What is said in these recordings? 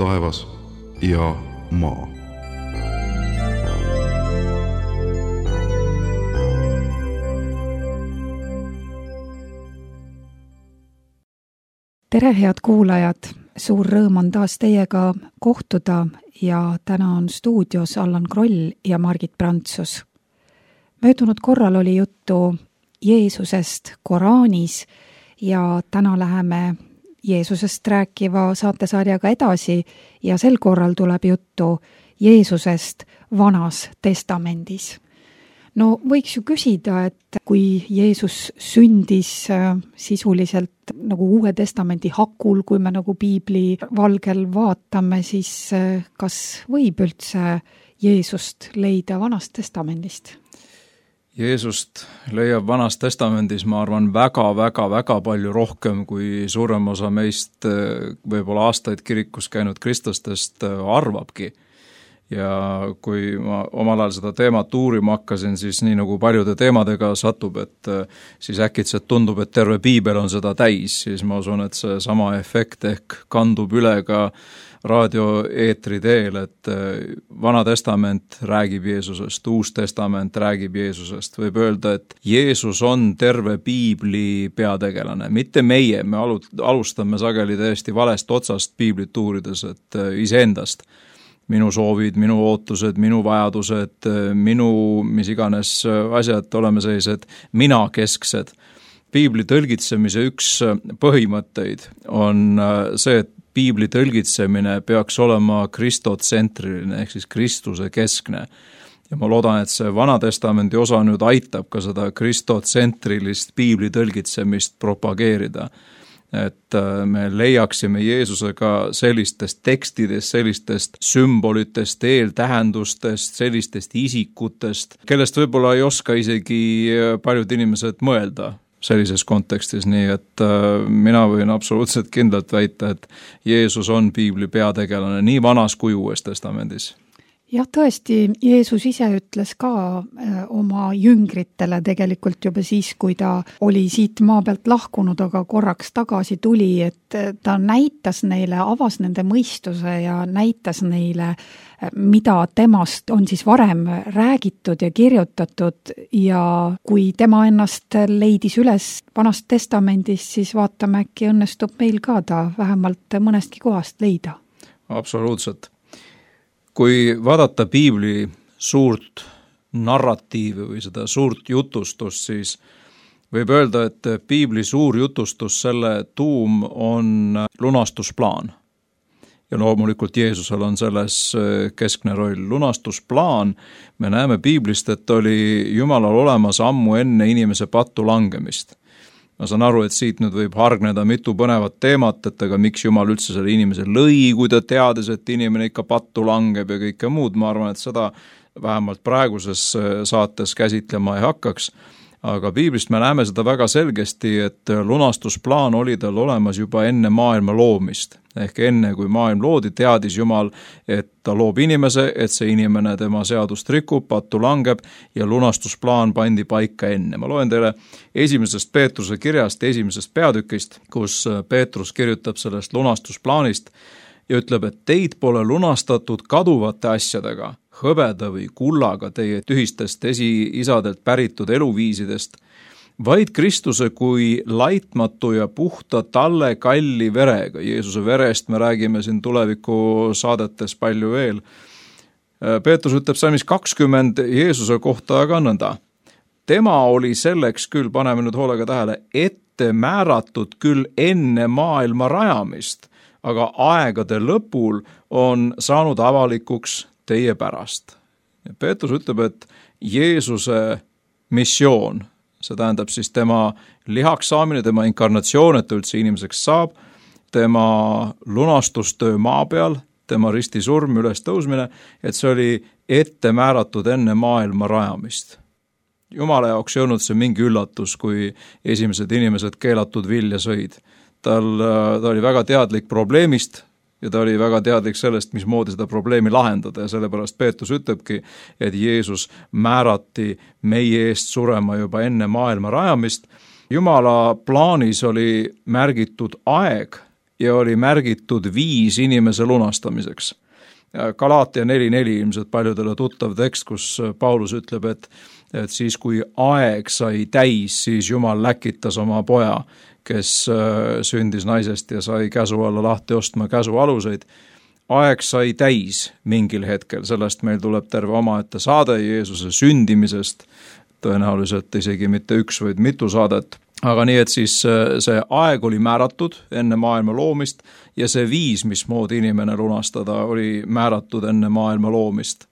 taevas ja maa. Tere, head kuulajad! Suur rõõm on taas teiega kohtuda ja täna on stuudios Allan Kroll ja Margit Prantsus. Möödunud korral oli juttu Jeesusest Koraanis ja täna läheme Jeesusest rääkiva saatesarjaga edasi ja sel korral tuleb juttu Jeesusest Vanas Testamendis. No võiks ju küsida, et kui Jeesus sündis sisuliselt nagu Uue Testamendi hakul, kui me nagu piibli valgel vaatame, siis kas võib üldse Jeesust leida Vanast Testamendist? Jeesust leiab Vanas Testamendis, ma arvan, väga palju rohkem, kui suurem osa meist võib-olla aastaid kirikus käinud kristlastest arvabki. Ja kui ma omal ajal seda teemat uurima hakkasin, siis nii nagu paljude teemadega satub, et siis äkitselt tundub, et terve piibel on seda täis, siis ma usun, et see sama efekt ehk kandub üle ka raadioeetri teel, et Vana Testament räägib Jeesusest, Uus Testament räägib Jeesusest. Võib öelda, et Jeesus on terve piibli peategelane, mitte meie, me alustame sageli täiesti valest otsast piiblit uurides, et iseendast. Minu soovid, minu ootused, minu vajadused, mis iganes asjad, oleme sellised minakesksed. Piibli tõlgitsemise üks põhimõtteid on see, et piibli tõlgitsemine peaks olema kristotsentriline ehk siis Kristuse keskne. Ja ma loodan, et see Vana Testamendi osa nüüd aitab ka seda kristotsentrilist piibli tõlgitsemist propageerida. Et me leiaksime Jeesusega sellistest tekstidest, sellistest sümbolitest, eeltähendustest, sellistest isikutest, kellest võib-olla ei oska isegi paljud inimesed mõelda sellises kontekstis, nii et mina võin absoluutselt kindlalt väita, et Jeesus on piibli peategelane nii Vanas kui Uues Testamendis. Jah, tõesti, Jeesus ise ütles ka oma jüngritele tegelikult juba siis, kui ta oli siit maa pealt lahkunud, aga korraks tagasi tuli, et ta näitas neile, avas nende mõistuse ja näitas neile, mida temast on siis varem räägitud ja kirjutatud ja kui tema ennast leidis üles Vanast Testamendist, siis vaatame, äkki õnnestub meil ka ta vähemalt mõnestki kohast leida. Absoluutselt. Kui vaadata piibli suurt narratiivi või seda suurt jutustust, siis võib öelda, et piibli suur jutustus, selle tuum on lunastusplaan. Ja loomulikult Jeesusel on selles keskne roll. Lunastusplaan, me näeme piiblist, et oli Jumalal olemas ammu enne inimese pattu langemist. Ma saan aru, et siit nüüd võib hargneda mitu põnevat teemat, et aga miks Jumal üldse selle inimese lõi, kui ta teades, et inimene ikka pattu langeb ja kõike muud. Ma arvan, et seda vähemalt praeguses saates käsitlema ei hakkaks. Aga piiblist me näeme seda väga selgesti, et lunastusplaan oli tal olemas juba enne maailma loomist. Ehk enne, kui maailm loodi, teadis Jumal, et ta loob inimese, et see inimene tema seadust rikub, pattu langeb ja lunastusplaan pandi paika enne. Ma loen teile esimesest Peetruse kirjast, esimesest peatükist, kus Peetrus kirjutab sellest lunastusplaanist ja ütleb, et teid pole lunastatud kaduvate asjadega, hõbeda või kullaga teie tühistest esiisadelt päritud eluviisidest, vaid Kristuse kui laitmatu ja puhta talle kalli verega. Jeesuse verest me räägime siin tuleviku saadetes palju veel. Peetrus ütleb salmis 20 Jeesuse kohta aga nõnda. Tema oli selleks küll, paneme nüüd hoolega tähele, ette määratud küll enne maailma rajamist, aga aegade lõpul on saanud avalikuks teie pärast. Peetrus ütleb, et Jeesuse missioon, see tähendab siis tema lihaks saamine, tema inkarnatsioon, et üldse inimeseks saab, tema lunastustöö maa peal, tema ristisurm, ülestõusmine, et see oli ette määratud enne maailma rajamist. Jumala jaoks ei olnud see mingi üllatus, kui esimesed inimesed keelatud vilja sõid. Ta oli väga teadlik probleemist ja ta oli väga teadlik sellest, mismoodi seda probleemi lahendada ja sellepärast Peetrus ütlebki, et Jeesus määrati meie eest surema juba enne maailma rajamist. Jumala plaanis oli märgitud aeg ja oli märgitud 5 inimese lunastamiseks. Galaatia 4.4 ilmselt paljudele tuttav tekst, kus Paulus ütleb, et siis kui aeg sai täis, siis Jumal läkitas oma poja, kes sündis naisest ja sai käsu alla lahti ostma käsu aluseid. Aeg sai täis mingil hetkel, sellest meil tuleb terve omaette saade Jeesuse sündimisest, tõenäoliselt isegi mitte 1, vaid mitu saadet. Aga nii, et siis see aeg oli määratud enne maailma loomist ja see 5, mismoodi inimene lunastada, oli määratud enne maailma loomist.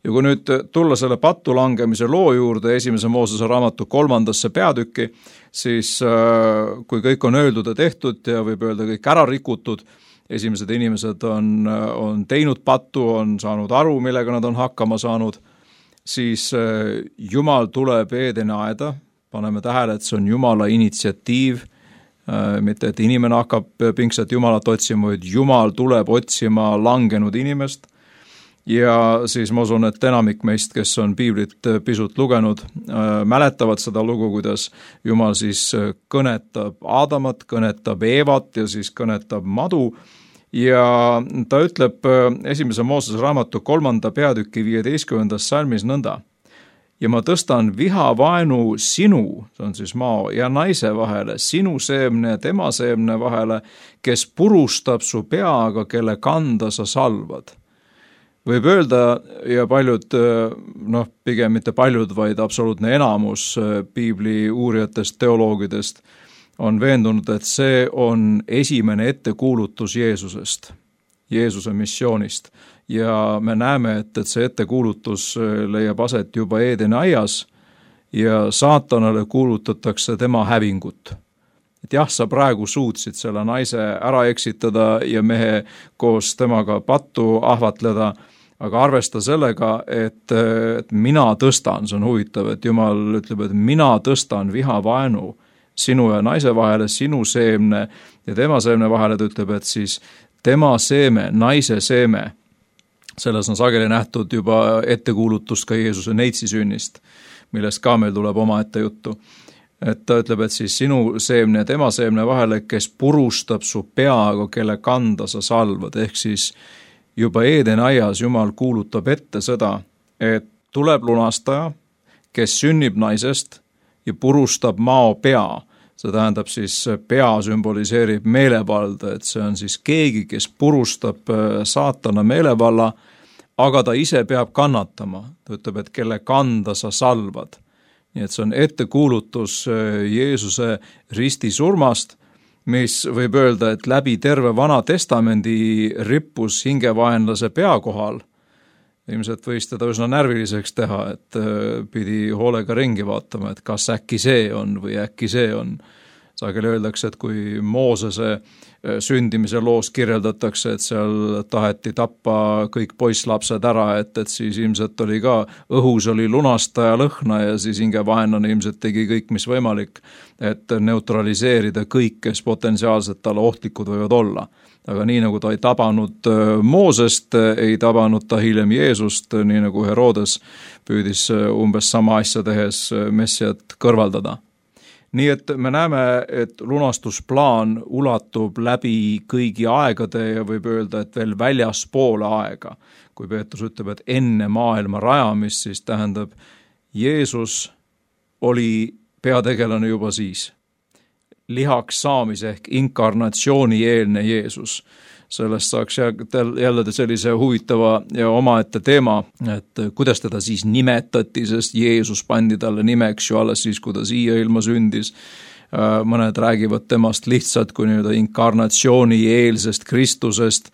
Ja kui nüüd tulla selle pattu langemise loo juurde 1. Moosese raamatu 3. peatükki, siis kui kõik on öeldud ja tehtud ja võib öelda kõik ära rikutud, esimesed inimesed on teinud pattu, on saanud aru, millega nad on hakkama saanud, siis Jumal tuleb Eedeni aeda, paneme tähele, et see on Jumala initsiatiiv, mitte et inimene hakkab pingsat Jumalat otsima, vaid Jumal tuleb otsima langenud inimest. Ja siis ma usun, et enamik meist, kes on piiblit pisut lugenud, mäletavad seda lugu, kuidas Jumal siis kõnetab Aadamat, kõnetab Eevat ja siis kõnetab madu. Ja ta ütleb 1. Moosese raamatu 3. peatüki 15. salmis nõnda. Ja ma tõstan vihavaenu sinu, see on siis maa ja naise vahele, sinu seemne ja tema seemne vahele, kes purustab su peaga, kelle kanda sa salvad. Võib öelda, ja paljud, pigem mitte paljud, vaid absoluutne enamus piibli uurijatest, teoloogidest on veendunud, et see on esimene ettekuulutus Jeesusest, Jeesuse missioonist. Ja me näeme, et see ettekuulutus leiab aset juba Eedeni aias ja saatanale kuulutatakse tema hävingut. Et jah, sa praegu suutsid selle naise ära eksitada ja mehe koos temaga pattu ahvatleda, aga arvesta sellega, et mina tõstan, see on huvitav, et Jumal ütleb, et mina tõstan vihavaenu sinu ja naise vahele, sinu seemne ja tema seemne vahele, ta ütleb, et siis tema seeme, naise seeme, selles on sageli nähtud juba ettekuulutust ka Jeesuse neitsi sünnist, millest ka meil tuleb omaette juttu. Et ta ütleb, et siis sinu seemne ja tema seemne vahele, kes purustab su peaga, kelle kanda sa salvad, ehk siis juba Eedeni aias Jumal kuulutab ette seda, et tuleb lunastaja, kes sünnib naisest ja purustab mao pea. See tähendab siis pea sümboliseerib meelevalda, et see on siis keegi, kes purustab saatana meelevalla, aga ta ise peab kannatama. Ta ütleb, et kelle kanda sa salvad. Nii et see on ettekuulutus Jeesuse ristisurmast, mis võib öelda, et läbi terve Vana Testamendi rippus hingevaenlase pea kohal. Ilmselt võis teda üsna närviliseks teha, et pidi hoolega ringi vaatama, et kas äkki see on või äkki see on. Sageli öeldakse, et kui Moosese sündimise loos kirjeldatakse, et seal taheti tappa kõik poisslapsed ära, et siis ilmselt oli ka, õhus oli lunastaja lõhna ja siis hingevaenlane ilmselt tegi kõik, mis võimalik, et neutraliseerida kõik, kes potentsiaalselt talle ohtlikud võivad olla. Aga nii nagu ta ei tabanud Moosest, ei tabanud ta hiljem Jeesust, nii nagu Herodes püüdis umbes sama asja tehes Messiat kõrvaldada. Nii et me näeme, et lunastusplaan ulatub läbi kõigi aegade ja võib öelda, et veel väljaspoole aega. Kui Peetrus ütleb, et enne maailma rajamist, siis tähendab, Jeesus oli peategelane juba siis. Lihaks saamise ehk inkarnatsiooni eelne Jeesus. Sellest saaks jälle sellise huvitava ja omaette teema, et kuidas teda siis nimetati, sest Jeesus pandi talle nimeks ju alles siis, kui ta siia ilma sündis. Mõned räägivad temast lihtsalt kui nii-öelda inkarnatsiooni eelsest Kristusest,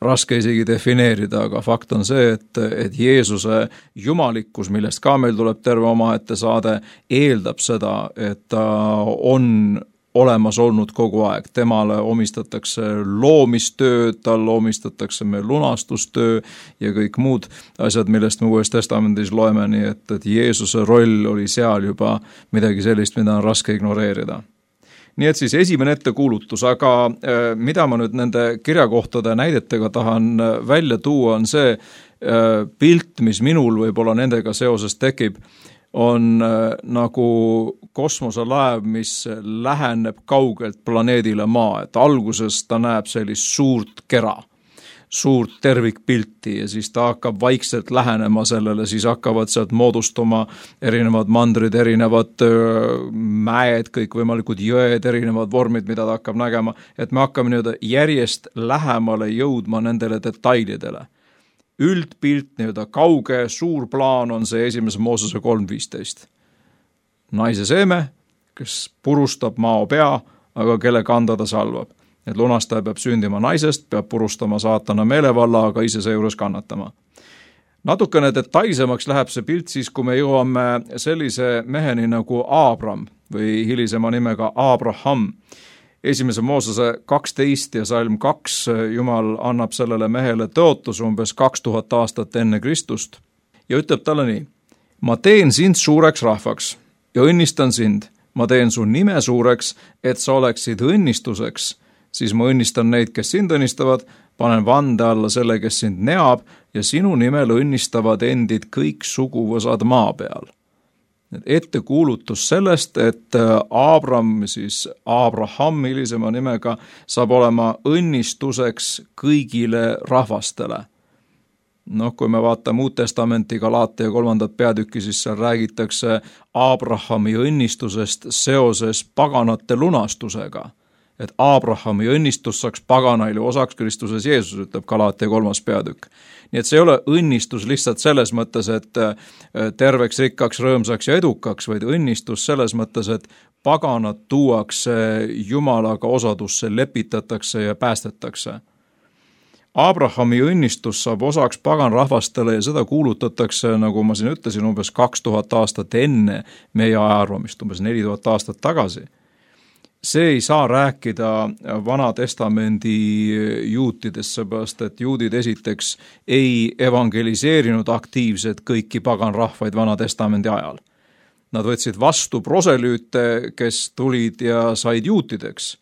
raske isegi defineerida, aga fakt on see, et Jeesuse jumalikkus, millest ka meil tuleb terve omaette saade, eeldab seda, et ta on olemas olnud kogu aeg. Temale omistatakse loomistöö, tal omistatakse meil lunastustöö ja kõik muud asjad, millest me Uues Testamendis loeme, nii et Jeesuse roll oli seal juba midagi sellist, mida on raske ignoreerida. Nii et siis esimene ettekuulutus, aga mida ma nüüd nende kirjakohtade näidetega tahan välja tuua, on see pilt, mis minul võib-olla nendega seoses tekib, on nagu kosmoselaev, mis läheneb kaugelt planeedile Maa, et alguses ta näeb sellist suurt kera, suurt tervikpilti ja siis ta hakkab vaikselt lähenema sellele, siis hakkavad sealt moodustuma erinevad mandrid, erinevad mäed, kõikvõimalikud jõed, erinevad vormid, mida ta hakkab nägema, et me hakkame nii-öelda järjest lähemale jõudma nendele detailidele. Üldpilt, nii-öelda kauge, suur plaan on see 1. Moosese 3.15. Naise seeme, kes purustab mao pea, aga kelle kanda ta salvab. Et lunastaja peab sündima naisest, peab purustama saatana meelevalla, aga ise seejuures kannatama. Natukene detailsemaks läheb see pilt siis, kui me jõuame sellise meheni nagu Abram või hilisema nimega Abraham. 1. Moosese 12 ja salm 2 Jumal annab sellele mehele tõotus umbes 2000 aastat enne Kristust ja ütleb talle nii: ma teen sind suureks rahvaks ja õnnistan sind, ma teen su nime suureks, et sa oleksid õnnistuseks, siis ma õnnistan neid, kes sind õnnistavad, panen vande alla selle, kes sind neab ja sinu nimel õnnistavad endid kõik suguvõsad maa peal. Ettekuulutus sellest, et Abraham hilisema nimega saab olema õnnistuseks kõigile rahvastele. Kui me vaatame Uut Testamenti Galaatia 3. peatükki, siis seal räägitakse Abrahami õnnistusest seoses paganate lunastusega. Et Abrahami õnnistus saaks paganaile osaks Kristuses Jeesus, ütleb Galaatia 3. peatükk. Nii et see ei ole õnnistus lihtsalt selles mõttes, et terveks, rikkaks, rõõmsaks ja edukaks, vaid õnnistus selles mõttes, et paganad tuuakse Jumalaga osadusse, lepitatakse ja päästetakse. Abrahami õnnistus saab osaks paganrahvastele ja seda kuulutatakse, nagu ma siin ütlesin, umbes 2000 aastat enne meie ajaarvamist, umbes 4000 aastat tagasi. See ei saa rääkida Vana Testamendi juutidest, seepärast et juudid esiteks ei evangeliseerinud aktiivselt kõiki paganrahvaid Vana Testamendi ajal. Nad võtsid vastu proselüüte, kes tulid ja said juutideks,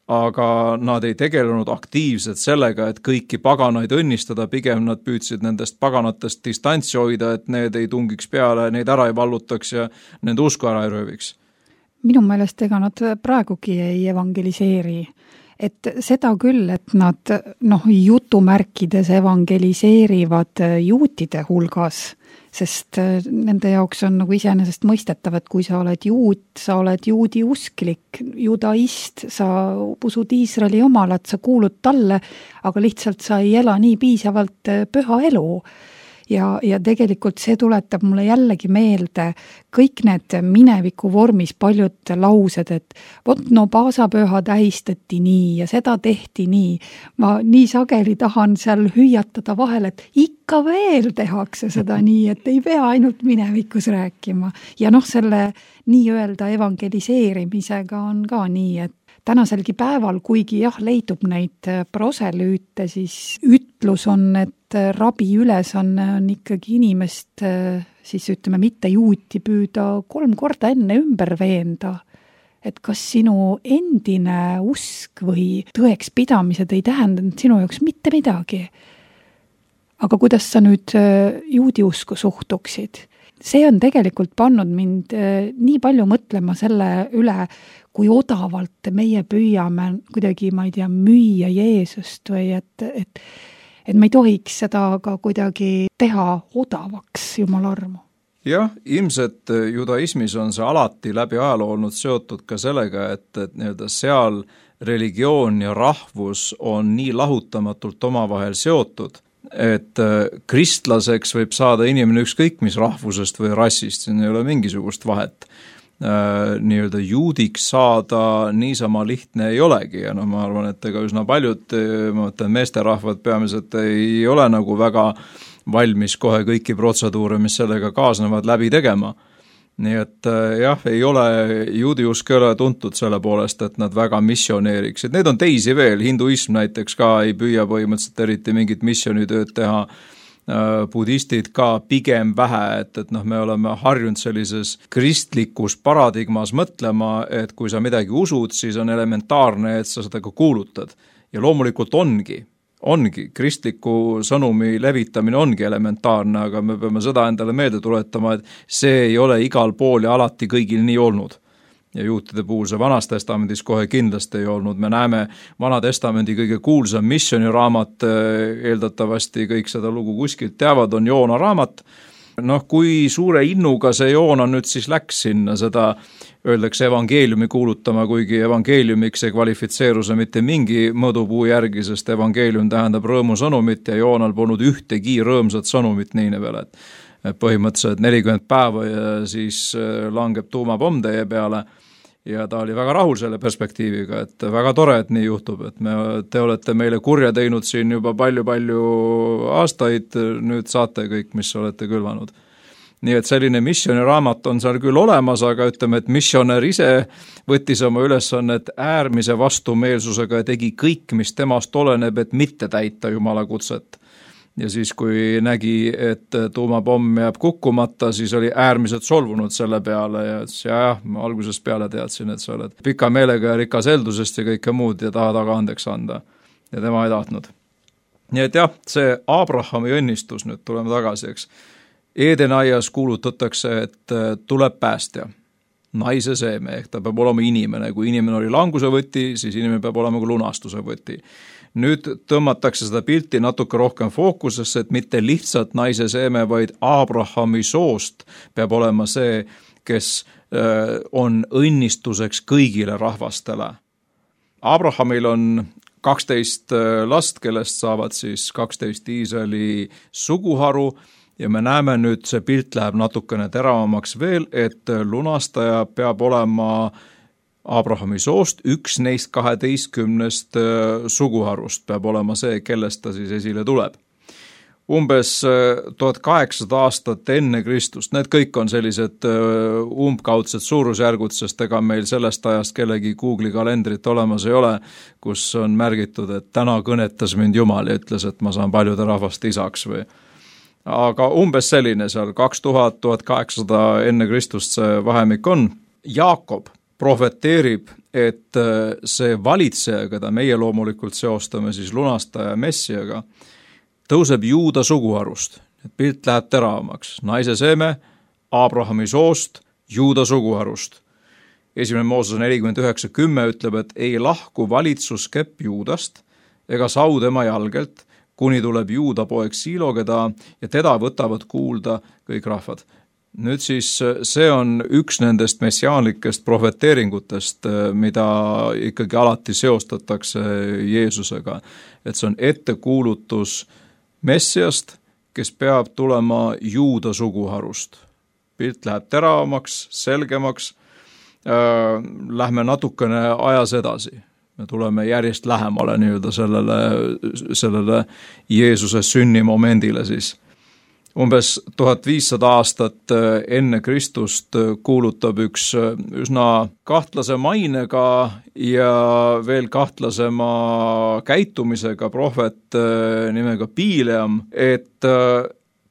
aga nad ei tegelenud aktiivselt sellega, et kõiki paganaid õnnistada, pigem nad püüdsid nendest paganatest distantsi hoida, et need ei tungiks peale, neid ära ei vallutaks ja nende usku ära ei rööviks. Minu meelest ega nad praegugi ei evangeliseeri. Et seda küll, et nad jutumärkides evangeliseerivad juutide hulgas, sest nende jaoks on nagu iseenesest mõistetav, et kui sa oled juut, sa oled juudi usklik, judaist, sa usud Iisraeli jumalat, sa kuulud talle, aga lihtsalt sa ei ela nii piisavalt püha elu. Ja tegelikult see tuletab mulle jällegi meelde kõik need mineviku vormis paljud laused, et paasapüha tähistati nii ja seda tehti nii. Ma nii sageli tahan seal hüüatada vahel, et ikka veel tehakse seda nii, et ei pea ainult minevikus rääkima. Ja selle nii-öelda evangeliseerimisega on ka nii, et tänaselgi päeval, kuigi leidub neid proselüüte, siis ütlus on, et rabi ülesanne on ikkagi inimest, siis ütleme, mitte juuti püüda 3 korda enne ümber veenda. Et kas sinu endine usk või tõeks pidamised ei tähendanud sinu jaoks mitte midagi. Aga kuidas sa nüüd juudi usku suhtuksid? See on tegelikult pannud mind nii palju mõtlema selle üle, kui odavalt meie püüame kuidagi, ma ei tea, müüa Jeesust või et me ei tohiks seda ka kuidagi teha odavaks, Jumala armu. Jah, ilmselt judaismis on see alati läbi ajaloo olnud seotud ka sellega, et nii-öelda seal religioon ja rahvus on nii lahutamatult omavahel seotud, et kristlaseks võib saada inimene ükskõik mis rahvusest või rassist, siin ei ole mingisugust vahet. Nii-öelda juudiks saada niisama lihtne ei olegi ja ma arvan, et ega üsna paljud meesterahvad peamiselt ei ole nagu väga valmis kohe kõiki protseduure, mis sellega kaasnevad, läbi tegema. Nii et jah, ei ole juudiusk ei ole tuntud selle poolest, et nad väga missioneeriksid. Need on teisi veel, hinduism näiteks ka ei püüa põhimõtteliselt eriti mingit missionitööd teha, budistid ka pigem vähe, et me oleme harjunud sellises kristlikus paradigmas mõtlema, et kui sa midagi usud, siis on elementaarne, et sa seda ka kuulutad. Ja loomulikult ongi, ongi, kristliku sõnumi levitamine ongi elementaarne, aga me peame seda endale meelde tuletama, et see ei ole igal pool ja alati kõigil nii olnud. Ja juutide puhul see Vanas Testamendis kohe kindlasti ei olnud. Me näeme Vana Testamendi kõige kuulsam missioniraamat, eeldatavasti kõik seda lugu kuskilt teavad, on Joona raamat. Kui suure innuga see Joona nüüd siis läks sinna, seda öeldakse evangeeliumi kuulutama, kuigi evangeeliumiks ei kvalifitseeru see mitte mingi mõõdupuu järgi, sest evangeelium tähendab rõõmusõnumit ja Joonal polnud ühtegi rõõmsat sõnumit Niinevele. Põhimõtteliselt 40 päeva ja siis langeb tuumapomm teie peale ja ta oli väga rahul selle perspektiiviga, et väga tore, et nii juhtub, et te olete meile kurja teinud siin juba palju-palju aastaid, nüüd saate kõik, mis olete külvanud. Nii et selline missioniraamat on seal küll olemas, aga ütleme, et missionär ise võttis oma ülesannet äärmise vastumeelsusega ja tegi kõik, mis temast oleneb, et mitte täita Jumala kutset. Ja siis, kui nägi, et tuumapomm jääb kukkumata, siis oli äärmiselt solvunud selle peale ja ütles, ma algusest peale teadsin, et sa oled pika meelega ja rikas eldusest ja kõike muud ja tahad aga andeks anda. Ja tema ei tahtnud. Nii et see Abrahami õnnistus, nüüd tuleme tagasi, eks. Edenaias kuulutatakse, et tuleb päästja, naise seeme, ehk ta peab olema inimene. Kui inimene oli languse võti, siis inimene peab olema ka lunastuse võti. Nüüd tõmmatakse seda pilti natuke rohkem fookusesse, et mitte lihtsalt naise seeme, vaid Abrahami soost peab olema see, kes on õnnistuseks kõigile rahvastele. Abrahamil on 12 last, kellest saavad siis 12 Iisraeli suguharu ja me näeme nüüd, see pilt läheb natukene teravamaks veel, et lunastaja peab olema Abrahami soost, üks neist 12 suguharust peab olema see, kellest ta siis esile tuleb. Umbes 1800 aastat enne Kristust, need kõik on sellised umbkaudsed suurusjärgud, sest ega meil sellest ajast kellegi Google'i kalendrit olemas ei ole, kus on märgitud, et täna kõnetas mind Jumal ja ütles, et ma saan paljude rahvaste isaks või. Aga umbes selline seal 2000-1800 enne Kristust see vahemik on. Jaakob profeteerib, et see valitseja, keda meie loomulikult seostame siis lunastaja Messiaga, tõuseb Juuda suguharust. Pilt läheb teravamaks. Naise seeme, Abrahami soost, Juuda suguharust. 1. Mooses 49:10 ütleb, et ei lahku valitsuskepp Juudast ega sau tema jalgelt, kuni tuleb Juuda poeg Siilogeda ja teda võtavad kuulda kõik rahvad. Nüüd siis see on üks nendest messiaanlikest profeteeringutest, mida ikkagi alati seostatakse Jeesusega. Et see on ettekuulutus Messiast, kes peab tulema Juuda suguharust. Pilt läheb teravamaks, selgemaks, lähme natukene ajas edasi. Me tuleme järjest lähemale nii-öelda sellele Jeesuse sünnimomendile siis. Umbes 1500 aastat enne Kristust kuulutab üks üsna kahtlase mainega ja veel kahtlasema käitumisega prohvet nimega Bileam, et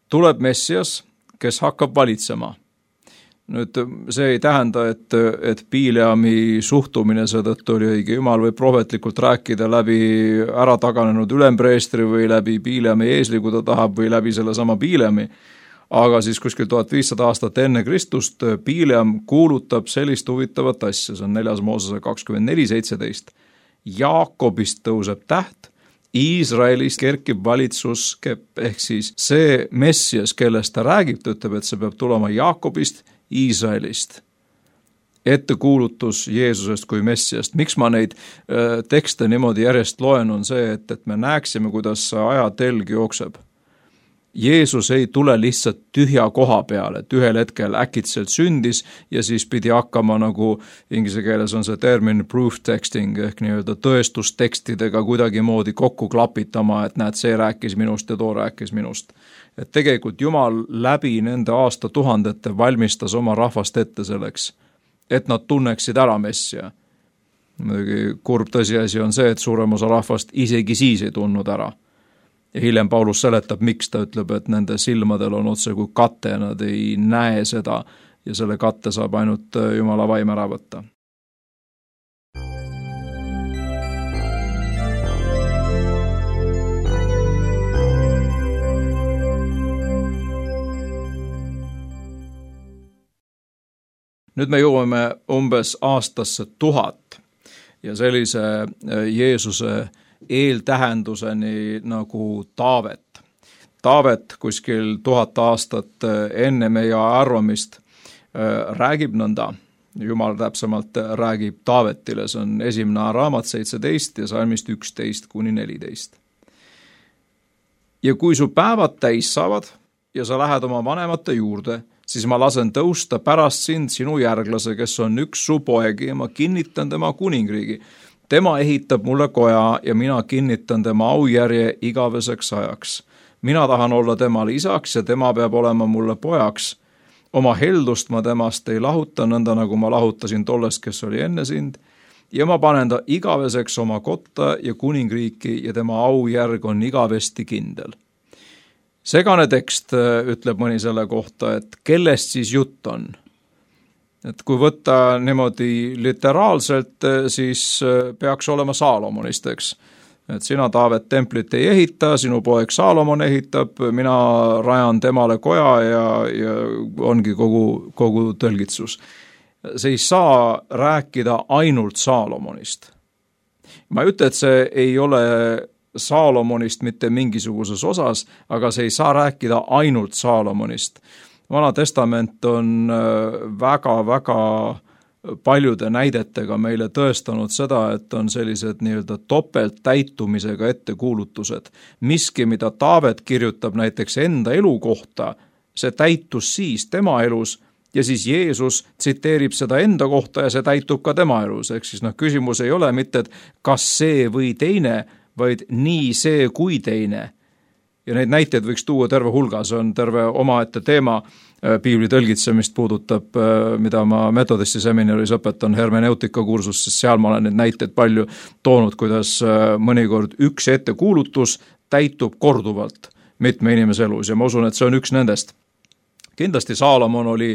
tuleb Messias, kes hakkab valitsema. Nüüd see ei tähenda, et Bileami suhtumine seetõttu oli õige. Jumal võib prohvetlikult rääkida läbi ära taganenud ülempreestri või läbi Bileami eesli, kui ta tahab, või läbi selle sama Bileami. Aga siis kuskil 1500 aastat enne Kristust Bileam kuulutab sellist huvitavat asja, see on 4. Moosese 24:17. Jaakobist tõuseb täht, Iisraelist kerkib valitsuskepp, ehk siis see Messias, kellest ta räägib, ta ütleb, et see peab tulema Jaakobist, Iisraelist. Ettekuulutus Jeesusest kui Messiast. Miks ma neid tekste niimoodi järjest loen, on see, et me näeksime, kuidas see ajatelg jookseb. Jeesus ei tule lihtsalt tühja koha peale, et ühel hetkel äkitselt sündis ja siis pidi hakkama, nagu inglise keeles on see termin proof texting ehk nii-öelda tõestustekstidega kuidagimoodi kokku klapitama, et näed, see rääkis minust ja too rääkis minust. Et tegelikult Jumal läbi nende aastatuhandete valmistas oma rahvast ette selleks, et nad tunneksid ära Messia. Muidugi kurb tõsiasi on see, et suurem osa rahvast isegi siis ei tundnud ära. Ja hiljem Paulus seletab, miks ta ütleb, et nende silmadel on otse kui kate, nad ei näe seda ja selle katte saab ainult Jumala vaim ära võtta. Nüüd me jõuame umbes aastasse 1000 ja sellise Jeesuse eeltähenduseni nagu Taavet. Taavet kuskil 1000 aastat enne meie arvamist räägib nõnda, Jumal täpsemalt räägib Taavetile, see on esimene raamat 17 ja salmist 11-14. Ja kui su päevad täis saavad ja sa lähed oma vanemate juurde, siis ma lasen tõusta pärast sind sinu järglase, kes on üks su poegi ja ma kinnitan tema kuningriigi. Tema ehitab mulle koja ja mina kinnitan tema aujärje igaveseks ajaks. Mina tahan olla temale isaks ja tema peab olema mulle pojaks. Oma heldust ma temast ei lahuta, nõnda nagu ma lahutasin tollest, kes oli enne sind. Ja ma panen ta igaveseks oma kotta ja kuningriiki ja tema aujärg on igavesti kindel. Segane tekst ütleb mõni selle kohta, et kellest siis jutt on. Et kui võtta niimoodi literaalselt, siis peaks olema Saalomonist, eks. Et sina, Taavet, templit ei ehita, sinu poeg Saalomon ehitab, mina rajan temale koja ja ongi kogu tõlgitsus. See ei saa rääkida ainult Saalomonist. Ma ei ütle, et see ei ole Saalomonist mitte mingisuguses osas, aga see ei saa rääkida ainult Saalomonist. Vana testament on väga-väga paljude näidetega meile tõestanud seda, et on sellised nii-öelda topelttäitumisega ettekuulutused. Miski, mida Taavet kirjutab näiteks enda elu kohta, see täitus siis tema elus ja siis Jeesus tsiteerib seda enda kohta ja see täitub ka tema elus. Ehk siis küsimus ei ole mitte, et kas see või teine, vaid nii see kui teine. Ja neid näiteid võiks tuua terve hulga, see on terve omaette teema, piibli tõlgitsemist puudutab, mida ma metodisti seminaris õpetan hermeneutika kursus, sest seal ma olen neid näiteid palju toonud, kuidas mõnikord üks ettekuulutus täitub korduvalt mitme inimese elus ja ma usun, et see on üks nendest. Kindlasti Saalomon oli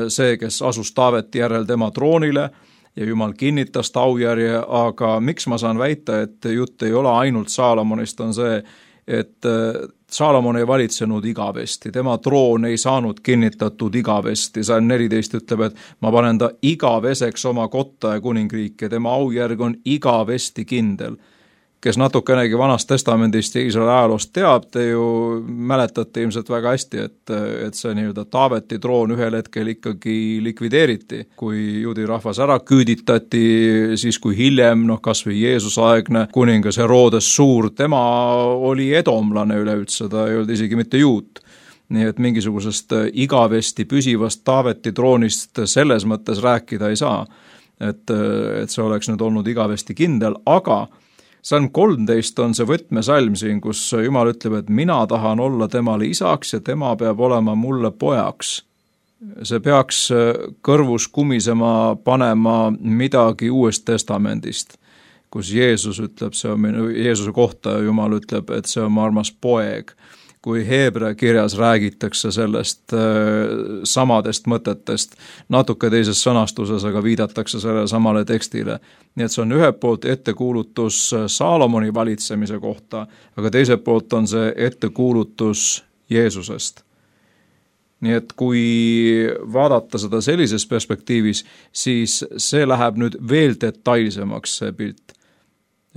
see, kes asus Taaveti järel tema troonile ja Jumal kinnitas ta aujärje, aga miks ma saan väita, et jutt ei ole ainult Saalomonist, on see, et Saalomon ei valitsenud igavesti, tema troon ei saanud kinnitatud igavesti. Salm 14 ütleb, et ma panen ta igaveseks oma kotta ja kuningriike, tema aujärg on igavesti kindel. Kes natukenegi Vanast testamendist ja Iisraeli ajaloost teab, te ju mäletate ilmselt väga hästi, et see nii-öelda Taaveti troon ühel hetkel ikkagi likvideeriti, kui juudi rahvas ära küüditati, siis kui hiljem, kas või Jeesuse-aegne kuningas Herodes Suur, tema oli edomlane üleüldse, ta ei olnud isegi mitte juut. Nii et mingisugusest igavesti püsivast Taaveti troonist selles mõttes rääkida ei saa, et see oleks nüüd olnud igavesti kindel, aga Salm 13 on see võtmesalm siin, kus Jumal ütleb, et mina tahan olla temale isaks ja tema peab olema mulle pojaks. See peaks kõrvus kumisema panema midagi Uuest testamendist, kus Jeesus ütleb, see on Jeesuse kohta Jumal ütleb, et see on mu armas poeg. Kui Heebrea kirjas räägitakse sellest samadest mõtetest, natuke teises sõnastuses, aga viidatakse sellele samale tekstile. Nii et see on ühelt poolt ettekuulutus Saalomoni valitsemise kohta, aga teiselt poolt on see ettekuulutus Jeesusest. Nii et kui vaadata seda sellises perspektiivis, siis see läheb nüüd veel detailsemaks see pilt.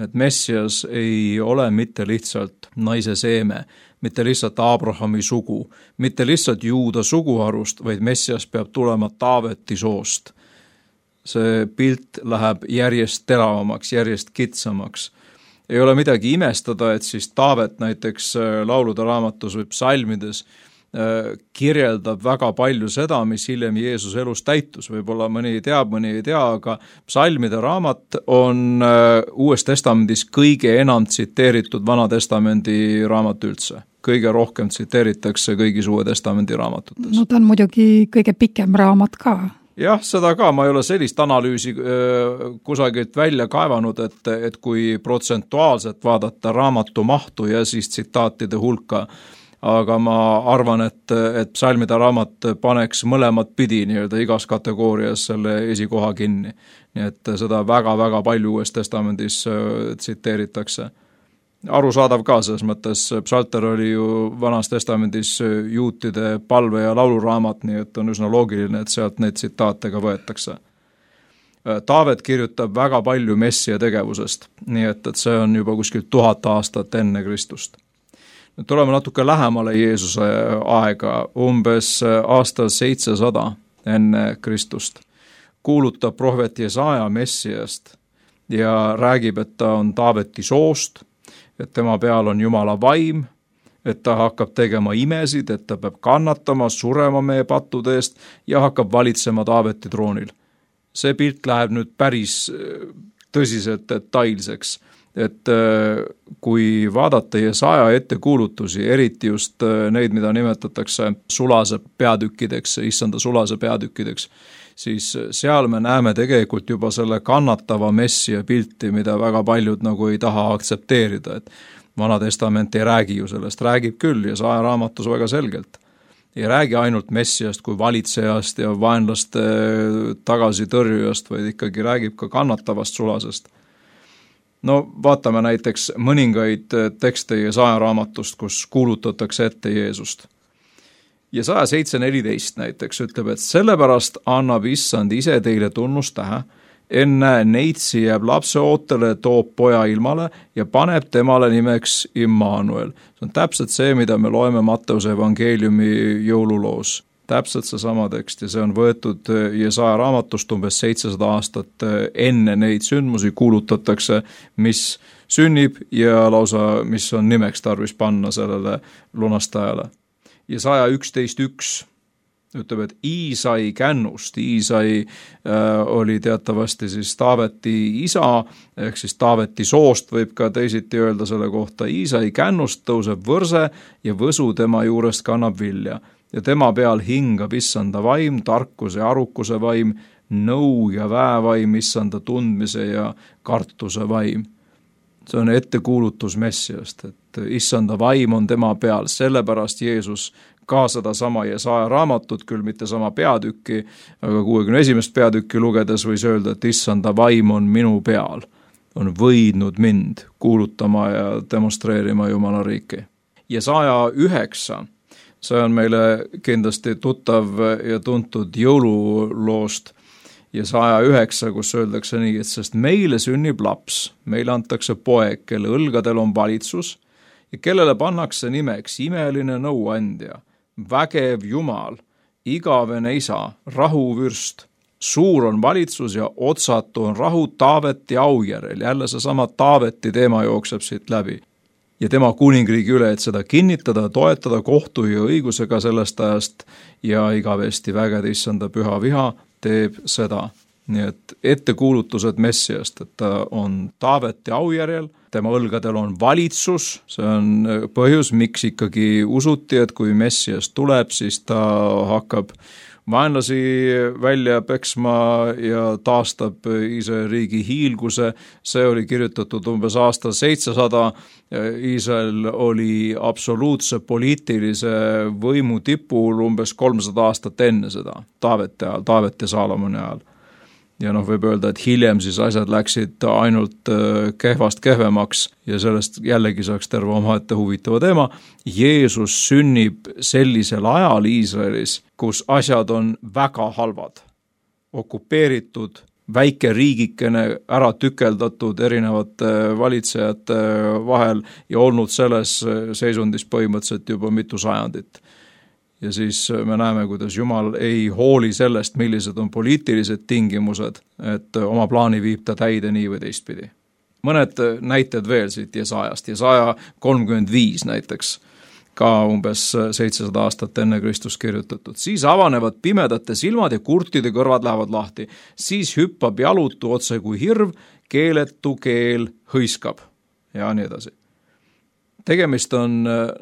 Et Messias ei ole mitte lihtsalt naise seeme, mitte lihtsalt Abrahami sugu, mitte lihtsalt Juuda suguharust, vaid Messias peab tulema Taaveti soost. See pilt läheb järjest teravamaks, järjest kitsamaks. Ei ole midagi imestada, et siis Taavet näiteks laulude raamatus või psalmides kirjeldab väga palju seda, mis hiljem Jeesuse elus täitus. Võib-olla mõni teab, mõni ei tea, aga psalmide raamat on Uues testamendis kõige enam tsiteeritud Vana testamendi raamat üldse. Kõige rohkem tsiteeritakse kõigis Uue testamendi raamatutes. No ta on muidugi kõige pikem raamat ka. Jah, seda ka, ma ei ole sellist analüüsi kusagilt välja kaevanud, et kui protsentuaalselt vaadata raamatu mahtu ja siis tsitaatide hulka, aga ma arvan, et psalmide raamat paneks mõlemat pidi nii-öelda igas kategoorias selle esikoha kinni. Nii et seda väga-väga palju Uues testamendis tsiteeritakse. arusaadav ka selles mõttes, psalter oli ju Vanas Testamendis juutide palve- ja lauluraamat, nii et on üsna loogiline, et sealt neid tsitaate ka võetakse. Taavet kirjutab väga palju Messia tegevusest, nii et see on juba kuskil 1000 aastat enne Kristust. Nüüd tuleme natuke lähemale Jeesuse aega, umbes aastal 700 enne Kristust. Kuulutab prohvet Jesaja Messiast ja räägib, et ta on Taaveti soost, et tema peal on Jumala vaim, et ta hakkab tegema imesid, et ta peab kannatama, surema meie pattude eest ja hakkab valitsema Taaveti troonil. See pilt läheb nüüd päris tõsiselt detailseks, et kui vaadata Jesaja ettekuulutusi, eriti just neid, mida nimetatakse sulase peatükkideks, issanda sulase peatükkideks, siis seal me näeme tegelikult juba selle kannatava Messia pilti, mida väga paljud nagu ei taha aktsepteerida, et Vana Testament ei räägi ju sellest, räägib küll Jesaja raamatus väga selgelt. Ei räägi ainult Messiast kui valitsejast ja vaenlaste tagasitõrjujast, vaid ikkagi räägib ka kannatavast sulasest. No vaatame näiteks mõningaid tekste Jesaja raamatust, kus kuulutatakse ette Jeesust. Jesaja 7.14 näiteks ütleb, et sellepärast annab issand ise teile tunnustähe, enne neitsi jääb lapse ootele, toob poja ilmale ja paneb temale nimeks Immanuel. See on täpselt see, mida me loeme Matteuse evangeeliumi jõululoos. Täpselt seesama tekst ja see on võetud Jesaja raamatust umbes 700 aastat enne neid sündmusi kuulutatakse, mis sünnib ja lausa, mis on nimeks tarvis panna sellele lunastajale. Jesaja 11.1 ütleb, et Iisai kännust, Iisai oli teatavasti siis Taaveti isa, ehk siis Taaveti soost võib ka teisiti öelda selle kohta, Iisai kännust tõuseb võrse ja võsu tema juurest kannab vilja ja tema peal hingab issanda vaim, tarkuse ja arukuse vaim, nõu ja väevaim, issanda tundmise ja kartuse vaim. See on ettekuulutus Messiast, et issanda vaim on tema peal, sellepärast Jeesus ka seda sama Jesaja raamatut, küll mitte sama peatükki, aga 61. peatükki lugedes võis öelda, et issanda vaim on minu peal, on võidnud mind kuulutama ja demonstreerima Jumala riiki. Jesaja 9, see on meile kindlasti tuttav ja tuntud jõululoost, Jesaja 9, kus öeldakse nii, et sest meile sünnib laps, meile antakse poeg, kelle õlgadel on valitsus ja kellele pannakse nimeks imeline nõuandja, vägev Jumal, igavene isa, rahuvürst, suur on valitsus ja otsatu on rahu Taaveti aujärel, jälle seesama Taaveti teema jookseb siit läbi. Ja tema kuningriigi üle, et seda kinnitada, toetada kohtu ja õigusega sellest ajast ja igavesti vägede issanda püha viha teeb seda. Nii et ettekuulutused Messiast, et ta on Taaveti aujärjel, tema õlgadel on valitsus, see on põhjus, miks ikkagi usuti, et kui Messias tuleb, siis ta hakkab vaenlasi välja peksma ja taastab Iisraeli riigi hiilguse. See oli kirjutatud umbes aastal 700. Iisrael oli absoluutse poliitilise võimu tipul umbes 300 aastat enne seda, Taaveti ajal, Taaveti ja Saalomoni ajal. Ja võib öelda, et hiljem siis asjad läksid ainult kehvast kehvemaks ja sellest jällegi saaks terve omaette huvitava teema. Jeesus sünnib sellisel ajal Iisraelis, kus asjad on väga halvad, okupeeritud, väike riigikene ära tükeldatud erinevate valitsejate vahel ja olnud selles seisundis põhimõtteliselt juba mitu sajandit. Ja siis me näeme, kuidas Jumal ei hooli sellest, millised on poliitilised tingimused, et oma plaani viib ta täide nii või teistpidi. Mõned näited veel siit Jesajast. Jesaja 35 näiteks, ka umbes 700 aastat enne Kristus kirjutatud. Siis avanevad pimedate silmad ja kurtide kõrvad lähevad lahti. Siis hüppab jalutu otse kui hirv, keeletu keel hõiskab ja nii edasi. Tegemist on,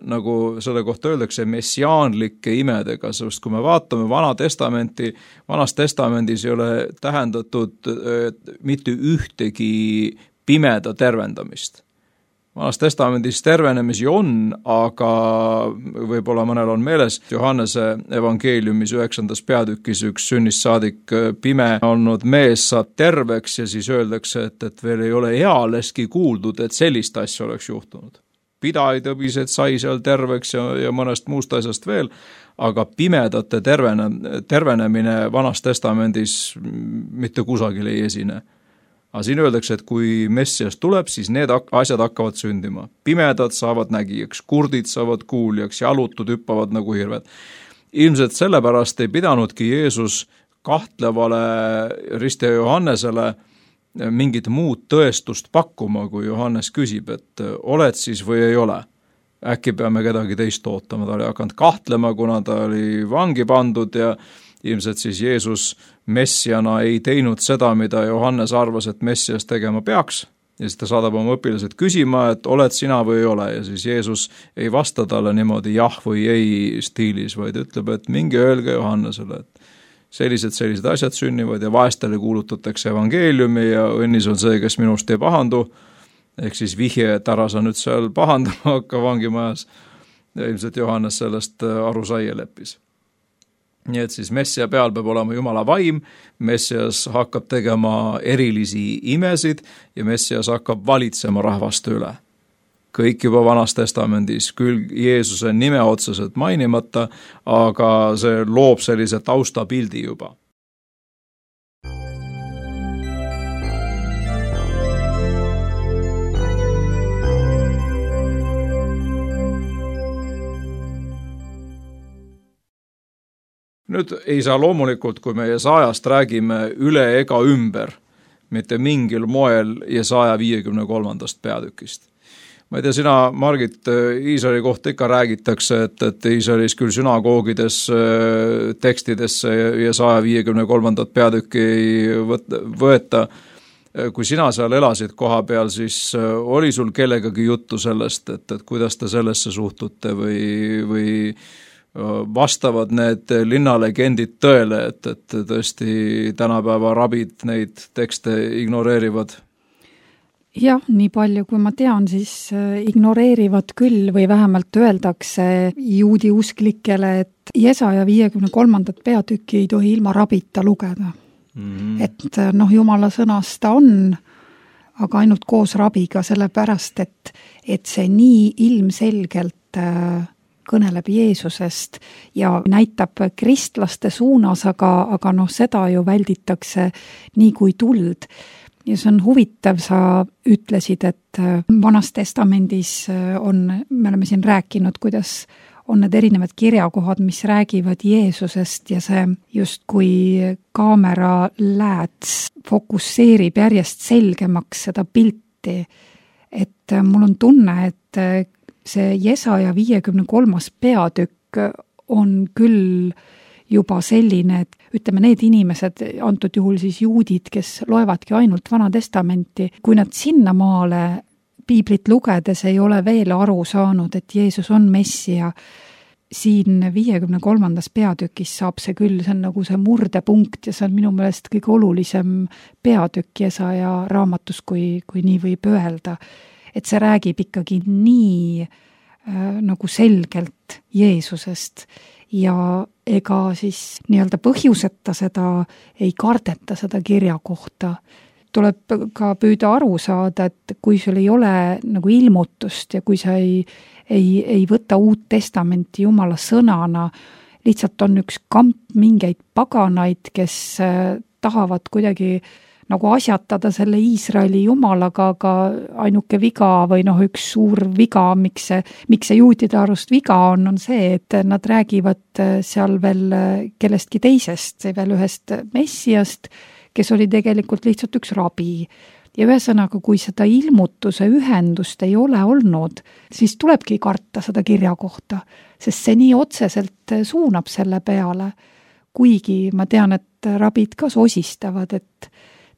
nagu selle kohta öeldakse, messiaanlike imedega, sest kui me vaatame Vanas Testamendis ei ole tähendatud mitte ühtegi pimeda tervendamist. Vanas testamendis tervenemisi on, aga võib-olla mõnel on meeles Johannese evangeeliumis 9. peatükis üks sünnist saadik pime olnud mees saab terveks ja siis öeldakse, et veel ei ole ealeski kuuldud, et sellist asja oleks juhtunud. Pidaitõbised sai seal terveks ja mõnest muust asjast veel, aga pimedate tervenemine Vanas testamendis mitte kusagil ei esine. Aga siin öeldakse, et kui Messias tuleb, siis need asjad hakkavad sündima. Pimedad saavad nägijaks, kurdid saavad kuuljaks, jalutud hüppavad nagu hirved. Ilmselt sellepärast ei pidanudki Jeesus kahtlevale Ristja Johannesele mingit muud tõestust pakkuma, kui Johannes küsib, et oled siis või ei ole. Äkki peame kedagi teist ootama, ta oli hakanud kahtlema, kuna ta oli vangi pandud ja ilmselt siis Jeesus messiana ei teinud seda, mida Johannes arvas, et messias tegema peaks. Ja siis ta saadab oma õpilased küsima, et oled sina või ei ole. Ja siis Jeesus ei vasta talle niimoodi jah või ei stiilis, vaid ütleb, et minge öelge Johannesele, et sellised asjad sünnivad ja vaestele kuulutatakse evangeeliumi ja õnnis on see, kes minust ei pahandu. Ehk siis vihje, et ära sa nüüd seal pahandama hakka vangimajas. Ja ilmselt Johannes sellest aru sai ja leppis. Nii et siis messia peal peab olema Jumala vaim, messias hakkab tegema erilisi imesid ja messias hakkab valitsema rahvaste üle. Kõik juba Vanas testamendis, küll Jeesuse nime otseselt mainimata, aga see loob sellise taustapildi juba. Nüüd ei saa loomulikult, kui me Jesaajast räägime üle ega ümber, mitte mingil moel Jesaja 53. peatükist. Ma ei tea, sina, Margit, Iisraeli kohta ikka räägitakse, et Iisraelis küll sünagoogides tekstidesse Jesaja 53. peatükki ei võeta. Kui sina seal elasid koha peal, siis oli sul kellegagi juttu sellest, et kuidas te sellesse suhtute või vastavad need linnalegendid tõele, et tõesti tänapäeva rabid neid tekste ignoreerivad? Jah, nii palju kui ma tean, siis ignoreerivad küll või vähemalt öeldakse juudi usklikele, et Jesaja 53. peatükki ei tohi ilma rabita lugeda. Et Jumala sõnas ta on, aga ainult koos rabiga, sellepärast, et see nii ilmselgelt kõneleb Jeesusest ja näitab kristlaste suunas, aga seda ju välditakse nii kui tuld. Ja see on huvitav, sa ütlesid, et Vanas testamendis me oleme siin rääkinud, kuidas on need erinevad kirjakohad, mis räägivad Jeesusest ja see just kui kaamera lääts fokusseerib järjest selgemaks seda pilti. Et mul on tunne, et see Jesaja 53. peatükk on küll juba selline, et ütleme, need inimesed, antud juhul siis juudid, kes loevadki ainult Vana testamenti, kui nad sinnamaale piiblit lugedes ei ole veel aru saanud, et Jeesus on messia, siin 53. peatükis saab see küll, see on nagu see murdepunkt ja see on minu meelest kõige olulisem peatükk Jesaja raamatus, kui nii võib öelda. Et see räägib ikkagi nii nagu selgelt Jeesusest ja ega siis nii-öelda põhjuseta seda ei kardeta seda kirja kohta. Tuleb ka püüda aru saada, et kui sul ei ole nagu ilmutust ja kui sa ei võta Uut Testamenti Jumala sõnana, lihtsalt on üks kamp mingeid paganaid, kes tahavad kuidagi nagu asjatada selle Iisraeli Jumalaga, aga ainuke viga või üks suur viga, miks see juutide arust viga on see, et nad räägivad seal veel kellestki teisest, veel ühest messiast, kes oli tegelikult lihtsalt üks rabi. Ja ühesõnaga, kui seda ilmutuse ühendust ei ole olnud, siis tulebki karta seda kirja kohta, sest see nii otseselt suunab selle peale. Kuigi ma tean, et rabid ka sosistavad, et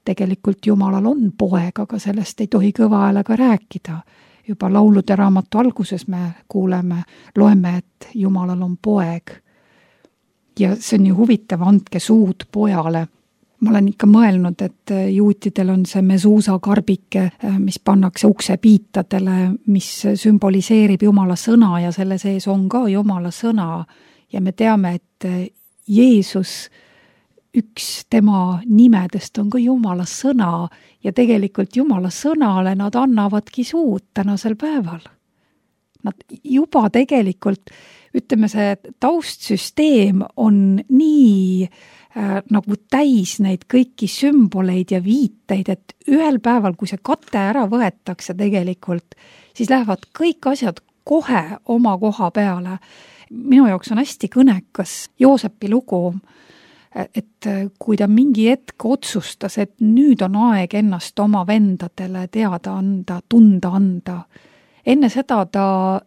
tegelikult Jumalal on poeg, aga sellest ei tohi kõva häälega rääkida. Juba laulude raamatu alguses me loeme, et Jumalal on poeg. Ja see on ju huvitav, andke suud pojale. ma olen ikka mõelnud, et juutidel on see mesuusa karbike, mis pannakse uksepiitadele, mis sümboliseerib Jumala sõna ja selle sees on ka Jumala sõna. Ja me teame, et Jeesus, üks tema nimedest on ka Jumala sõna ja tegelikult Jumala sõnale nad annavadki suud tänasel päeval. Nad juba tegelikult, ütleme see taustsüsteem on nii nagu täis neid kõiki sümboleid ja viiteid, et ühel päeval, kui see kate ära võetakse tegelikult, siis lähevad kõik asjad kohe oma koha peale. Minu jaoks on hästi kõnekas Joosepi lugu, et kui ta mingi hetk otsustas, et nüüd on aeg ennast oma vendadele teada anda, tunda anda. Enne seda ta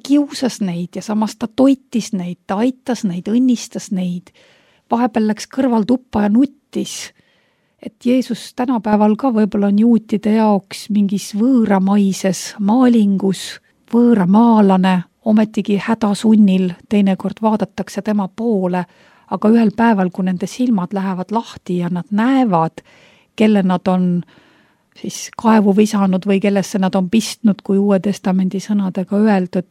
kiusas neid ja samas ta toitis neid, ta aitas neid, õnnistas neid. Vahepeal läks kõrval tuppa ja nuttis, et Jeesus tänapäeval ka võib-olla on juutide jaoks mingis võõramaises maalingus, võõramaalane, ometigi hädasunnil, teinekord vaadatakse tema poole, aga ühel päeval, kui nende silmad lähevad lahti ja nad näevad, kelle nad on siis kaevu visanud või kellesse nad on pistnud, kui Uue Testamendi sõnadega öelda,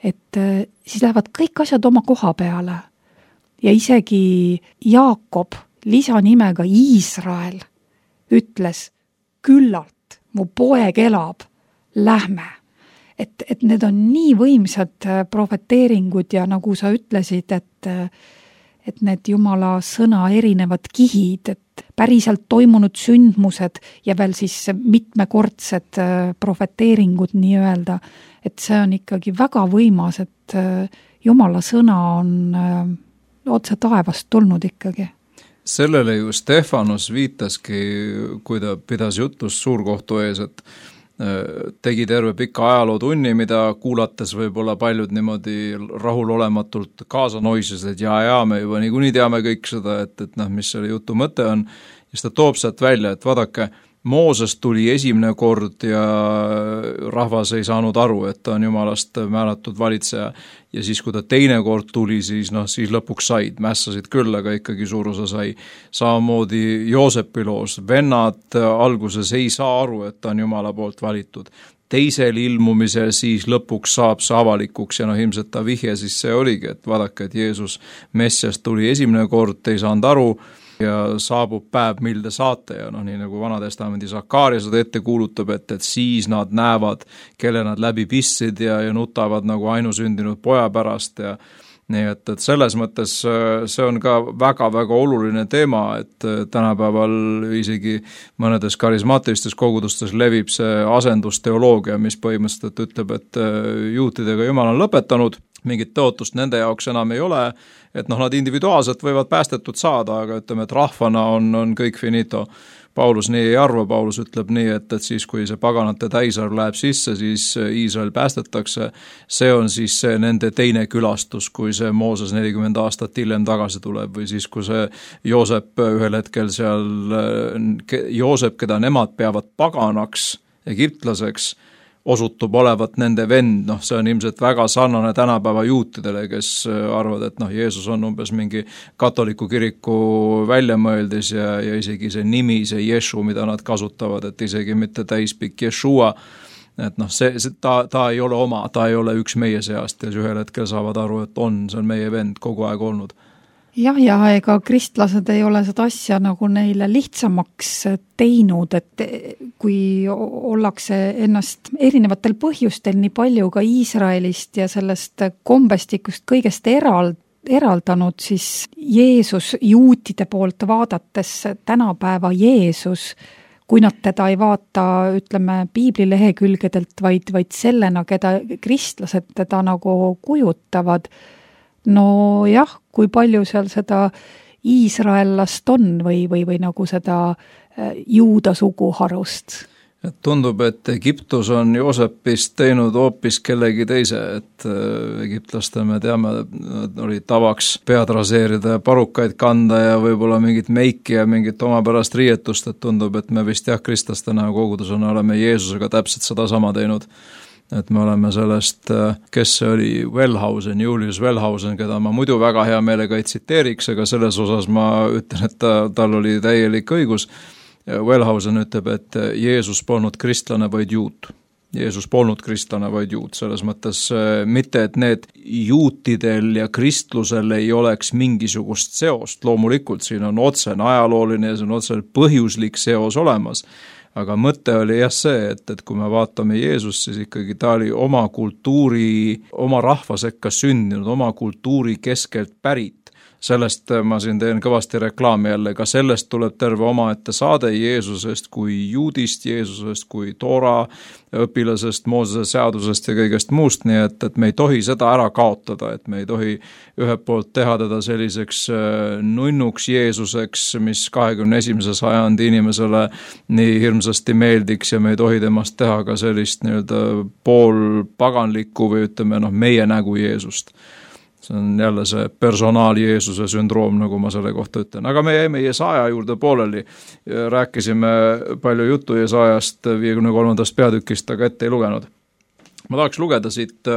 et siis lähevad kõik asjad oma koha peale. Ja isegi Jaakob lisanimega Iisrael ütles, küllalt, mu poeg elab, lähme. Et need on nii võimsad profeteeringud ja nagu sa ütlesid, et need Jumala sõna erinevad kihid, et päriselt toimunud sündmused ja veel siis mitmekordsed profeteeringud nii-öelda, et see on ikkagi väga võimas, et Jumala sõna on otse taevast tulnud ikkagi. Sellele ju Stefanus viitaski, kui ta pidas jutlust suurkohtu ees, et tegi terve pika ajalootunni, mida kuulates võib-olla paljud niimoodi rahulolematult kaasa noisid, et me juba niikuinii teame kõik seda, et mis selle jutu mõte on. Ja siis ta toob sealt välja, et vaadake, Mooses tuli esimene kord ja rahvas ei saanud aru, et ta on Jumalast määratud valitseja. Ja siis, kui ta teine kord tuli, siis lõpuks said, mässasid küll, aga ikkagi suur osa sai. Samamoodi Joosepi loos, vennad alguses ei saa aru, et ta on Jumala poolt valitud. Teisel ilmumisel siis lõpuks saab see avalikuks ja ilmselt ta vihje siis see oligi, et vaadake, et Jeesus Messias tuli esimene kord, ei saanud aru, ja saabub päev, mil te saate ja nii nagu Vanatestamendi Sakaaria seda ette kuulutab, et siis nad näevad, kelle nad läbi pistsid ja nutavad nagu ainusündinud poja pärast ja nii et selles mõttes see on ka väga-väga oluline teema, et tänapäeval isegi mõnedes karismaatilistes kogudustes levib see asendusteoloogia, mis põhimõtteliselt ütleb, et juutidega Jumal on lõpetanud, mingit tõotust nende jaoks enam ei ole, et nad individuaalselt võivad päästetud saada, aga ütleme, et rahvana on kõik finito. Paulus nii ei arva, Paulus ütleb nii, et siis kui see paganate täisarv läheb sisse, siis Iisrael päästetakse, see on siis see nende teine külastus, kui see Mooses 40 aastat hiljem tagasi tuleb või siis, kui see Joosep ühel hetkel seal, Joosep, keda nemad peavad paganaks, egiptlaseks, osutub olevat nende vend, see on ilmselt väga sarnane tänapäeva juutidele, kes arvad, et Jeesus on umbes mingi katoliku kiriku väljamõeldis ja isegi see nimi, see Ješu, mida nad kasutavad, et isegi mitte täispikk Ješua, et ta ei ole oma, ta ei ole üks meie seast ja ühel hetkel saavad aru, et see on meie vend kogu aeg olnud. Ja ega kristlased ei ole seda asja nagu neile lihtsamaks teinud, et kui ollakse ennast erinevatel põhjustel nii palju ka Iisraelist ja sellest kombestikust kõigest eraldanud, siis Jeesus juutide poolt vaadates tänapäeva Jeesus, kui nad teda ei vaata, ütleme, piiblilehekülgedelt, vaid sellena, keda kristlased teda nagu kujutavad, kui palju seal seda iisraellast on või nagu seda juuda suguharust? Tundub, et Egiptus on Joosepist teinud hoopis kellegi teise, et egiptlastel me teame, oli tavaks pead raseerida ja parukaid kanda ja võib-olla mingit meiki ja mingit omapärast riietust, et tundub, et me vist kristlastena kogudusena oleme Jeesusega täpselt seda sama teinud. et me oleme sellest, kes see oli, Wellhausen, Julius Wellhausen, keda ma muidu väga hea meelega ei tsiteeriks, aga selles osas ma ütlen, et tal oli täielik õigus. Wellhausen ütleb, et Jeesus polnud kristlane, vaid juut. Jeesus polnud kristlane, vaid juut, selles mõttes mitte, et need juutidel ja kristlusel ei oleks mingisugust seost, loomulikult siin on otsene ajalooline ja see on otsene põhjuslik seos olemas, aga mõte oli jah see, et kui me vaatame Jeesust, siis ikkagi ta oli oma kultuuri, oma rahva sekka sündinud, oma kultuuri keskelt pärit. Sellest ma siin teen kõvasti reklaami jälle, ka sellest tuleb terve omaette saade Jeesusest kui juudist, Jeesusest kui Toora õpilasest, Moosese seadusest ja kõigest muust, nii et me ei tohi seda ära kaotada, et me ei tohi ühelt poolt teha teda selliseks nunnuks Jeesuseks, mis 21. sajandi inimesele nii hirmsasti meeldiks ja me ei tohi temast teha ka sellist nii-öelda poolpaganlikku või ütleme meie nägu Jeesust. See on jälle see personaal Jeesuse sündroom, nagu ma selle kohta ütlen. Aga me jäime Jesaja juurde pooleli. Rääkisime palju juttu Jesajast 53. peatükist, aga ette ei lugenud. Ma tahaks lugeda siit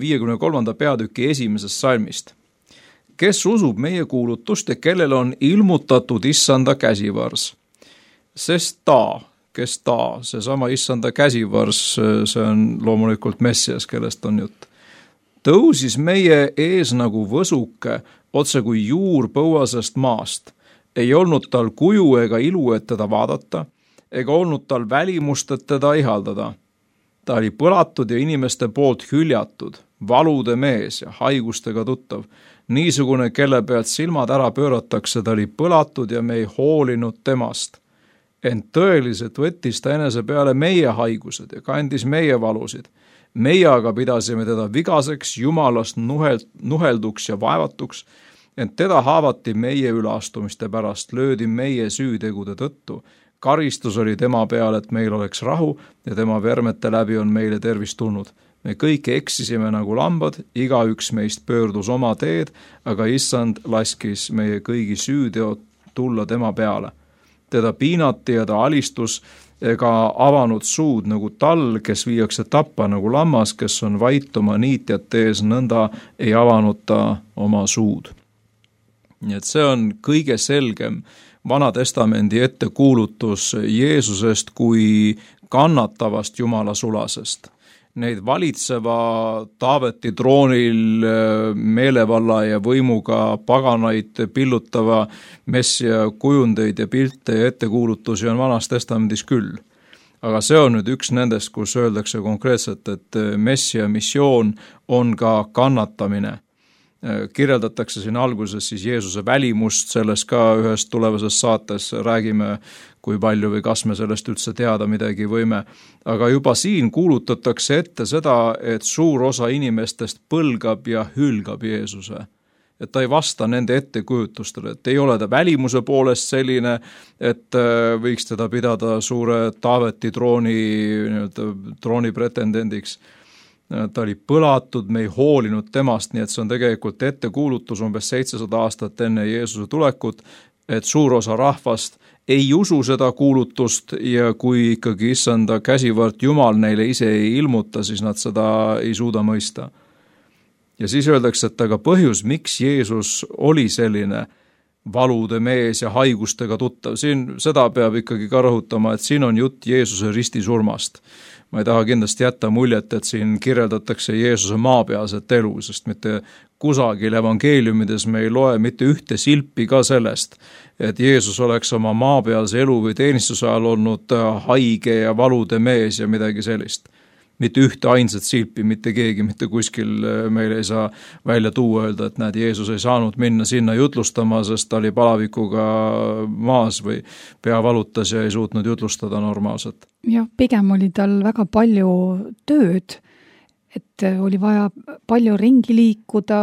53. peatüki 1. salmist. Kes usub meie kuulutust ja kellel on ilmutatud issanda käsivars? Sest kes ta, seesama issanda käsivars, see on loomulikult Messias, kellest on jutt. Tõusis meie ees nagu võsuke, otse kui juur põuasest maast. Ei olnud tal kuju ega ilu, et teda vaadata, ega olnud tal välimust, et teda ihaldada. Ta oli põlatud ja inimeste poolt hüljatud, valude mees ja haigustega tuttav. Niisugune, kelle pealt silmad ära pööratakse, ta oli põlatud ja me ei hoolinud temast. Ent tõeliselt võttis ta enese peale meie haigused ja kandis meie valusid. Meie aga pidasime teda vigaseks, jumalast nuhelduks ja vaevatuks, ent teda haavati meie üleastumiste pärast, löödi meie süütegude tõttu. Karistus oli tema peal, et meil oleks rahu ja tema vermete läbi on meile tervis tulnud. Me kõik eksisime nagu lambad, igaüks meist pöördus oma teed, aga issand laskis meie kõigi süüteod tulla tema peale. Teda piinati ja ta alistus ega avanud suud nagu tall, kes viiakse tappa nagu lammas, kes on vait oma niitjate ees, nõnda ei avanud ta oma suud. Nii et see on kõige selgem Vana Testamendi ettekuulutus Jeesusest kui kannatavast Jumala sulasest. Neid valitseva Taaveti troonil meelevalla ja võimuga paganaid pillutava messia kujundeid ja pilte ja ettekuulutusi on Vanas Testamendis küll. Aga see on nüüd üks nendest, kus öeldakse konkreetselt, et messia missioon on ka kannatamine. Kirjeldatakse siin alguses siis Jeesuse välimust, selles ka ühes tulevases saates räägime, kui palju või kas me sellest üldse teada midagi võime. Aga juba siin kuulutatakse ette seda, et suur osa inimestest põlgab ja hülgab Jeesuse. Et ta ei vasta nende ettekujutustele, et ei ole ta välimuse poolest selline, et võiks teda pidada suure Taaveti trooni pretendendiks. Ta oli põlatud, me ei hoolinud temast, nii et see on tegelikult ettekuulutus umbes 700 aastat enne Jeesuse tulekut, et suur osa rahvast ei usu seda kuulutust ja kui ikkagi issanda käsivõrd Jumal neile ise ei ilmuta, siis nad seda ei suuda mõista. Ja siis öeldakse, et aga põhjus, miks Jeesus oli selline valude mees ja haigustega tuttav, siin seda peab ikkagi ka rõhutama, et siin on jutt Jeesuse ristisurmast. Ma ei taha kindlasti jätta muljet, et siin kirjeldatakse Jeesuse maapealset elu, sest mitte kusagil evangeeliumides me ei loe mitte ühte silpi ka sellest, et Jeesus oleks oma maapealse elu või teenistuse ajal olnud haige ja valude mees ja midagi sellist. Mitte ühte ainsat silpi, mitte keegi, mitte kuskil meile ei saa välja tuua öelda, et näed, Jeesus ei saanud minna sinna jutlustama, sest ta oli palavikuga maas või pea valutas ja ei suutnud jutlustada normaalselt. Jah, pigem oli tal väga palju tööd, et oli vaja palju ringi liikuda,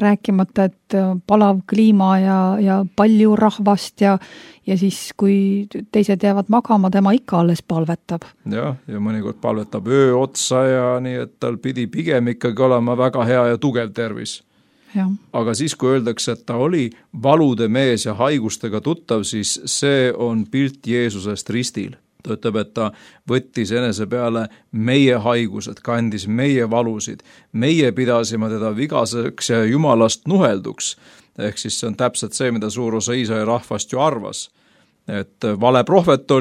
rääkimata, et palav kliima ja palju rahvast ja siis, kui teised jäävad magama, tema ikka alles palvetab. Ja mõnikord palvetab öö otsa ja nii, et tal pidi pigem ikkagi olema väga hea ja tugev tervis. Ja. Aga siis, kui öeldakse, et ta oli valude mees ja haigustega tuttav, siis see on pilt Jeesusest ristil. ta ütleb, et ta võttis enese peale meie haigused, kandis meie valusid, meie pidasime teda vigaseks ja jumalast nuhelduks. Ehk siis see on täpselt see, mida suur osa Iisraeli rahvast ju arvas. Et vale prohvet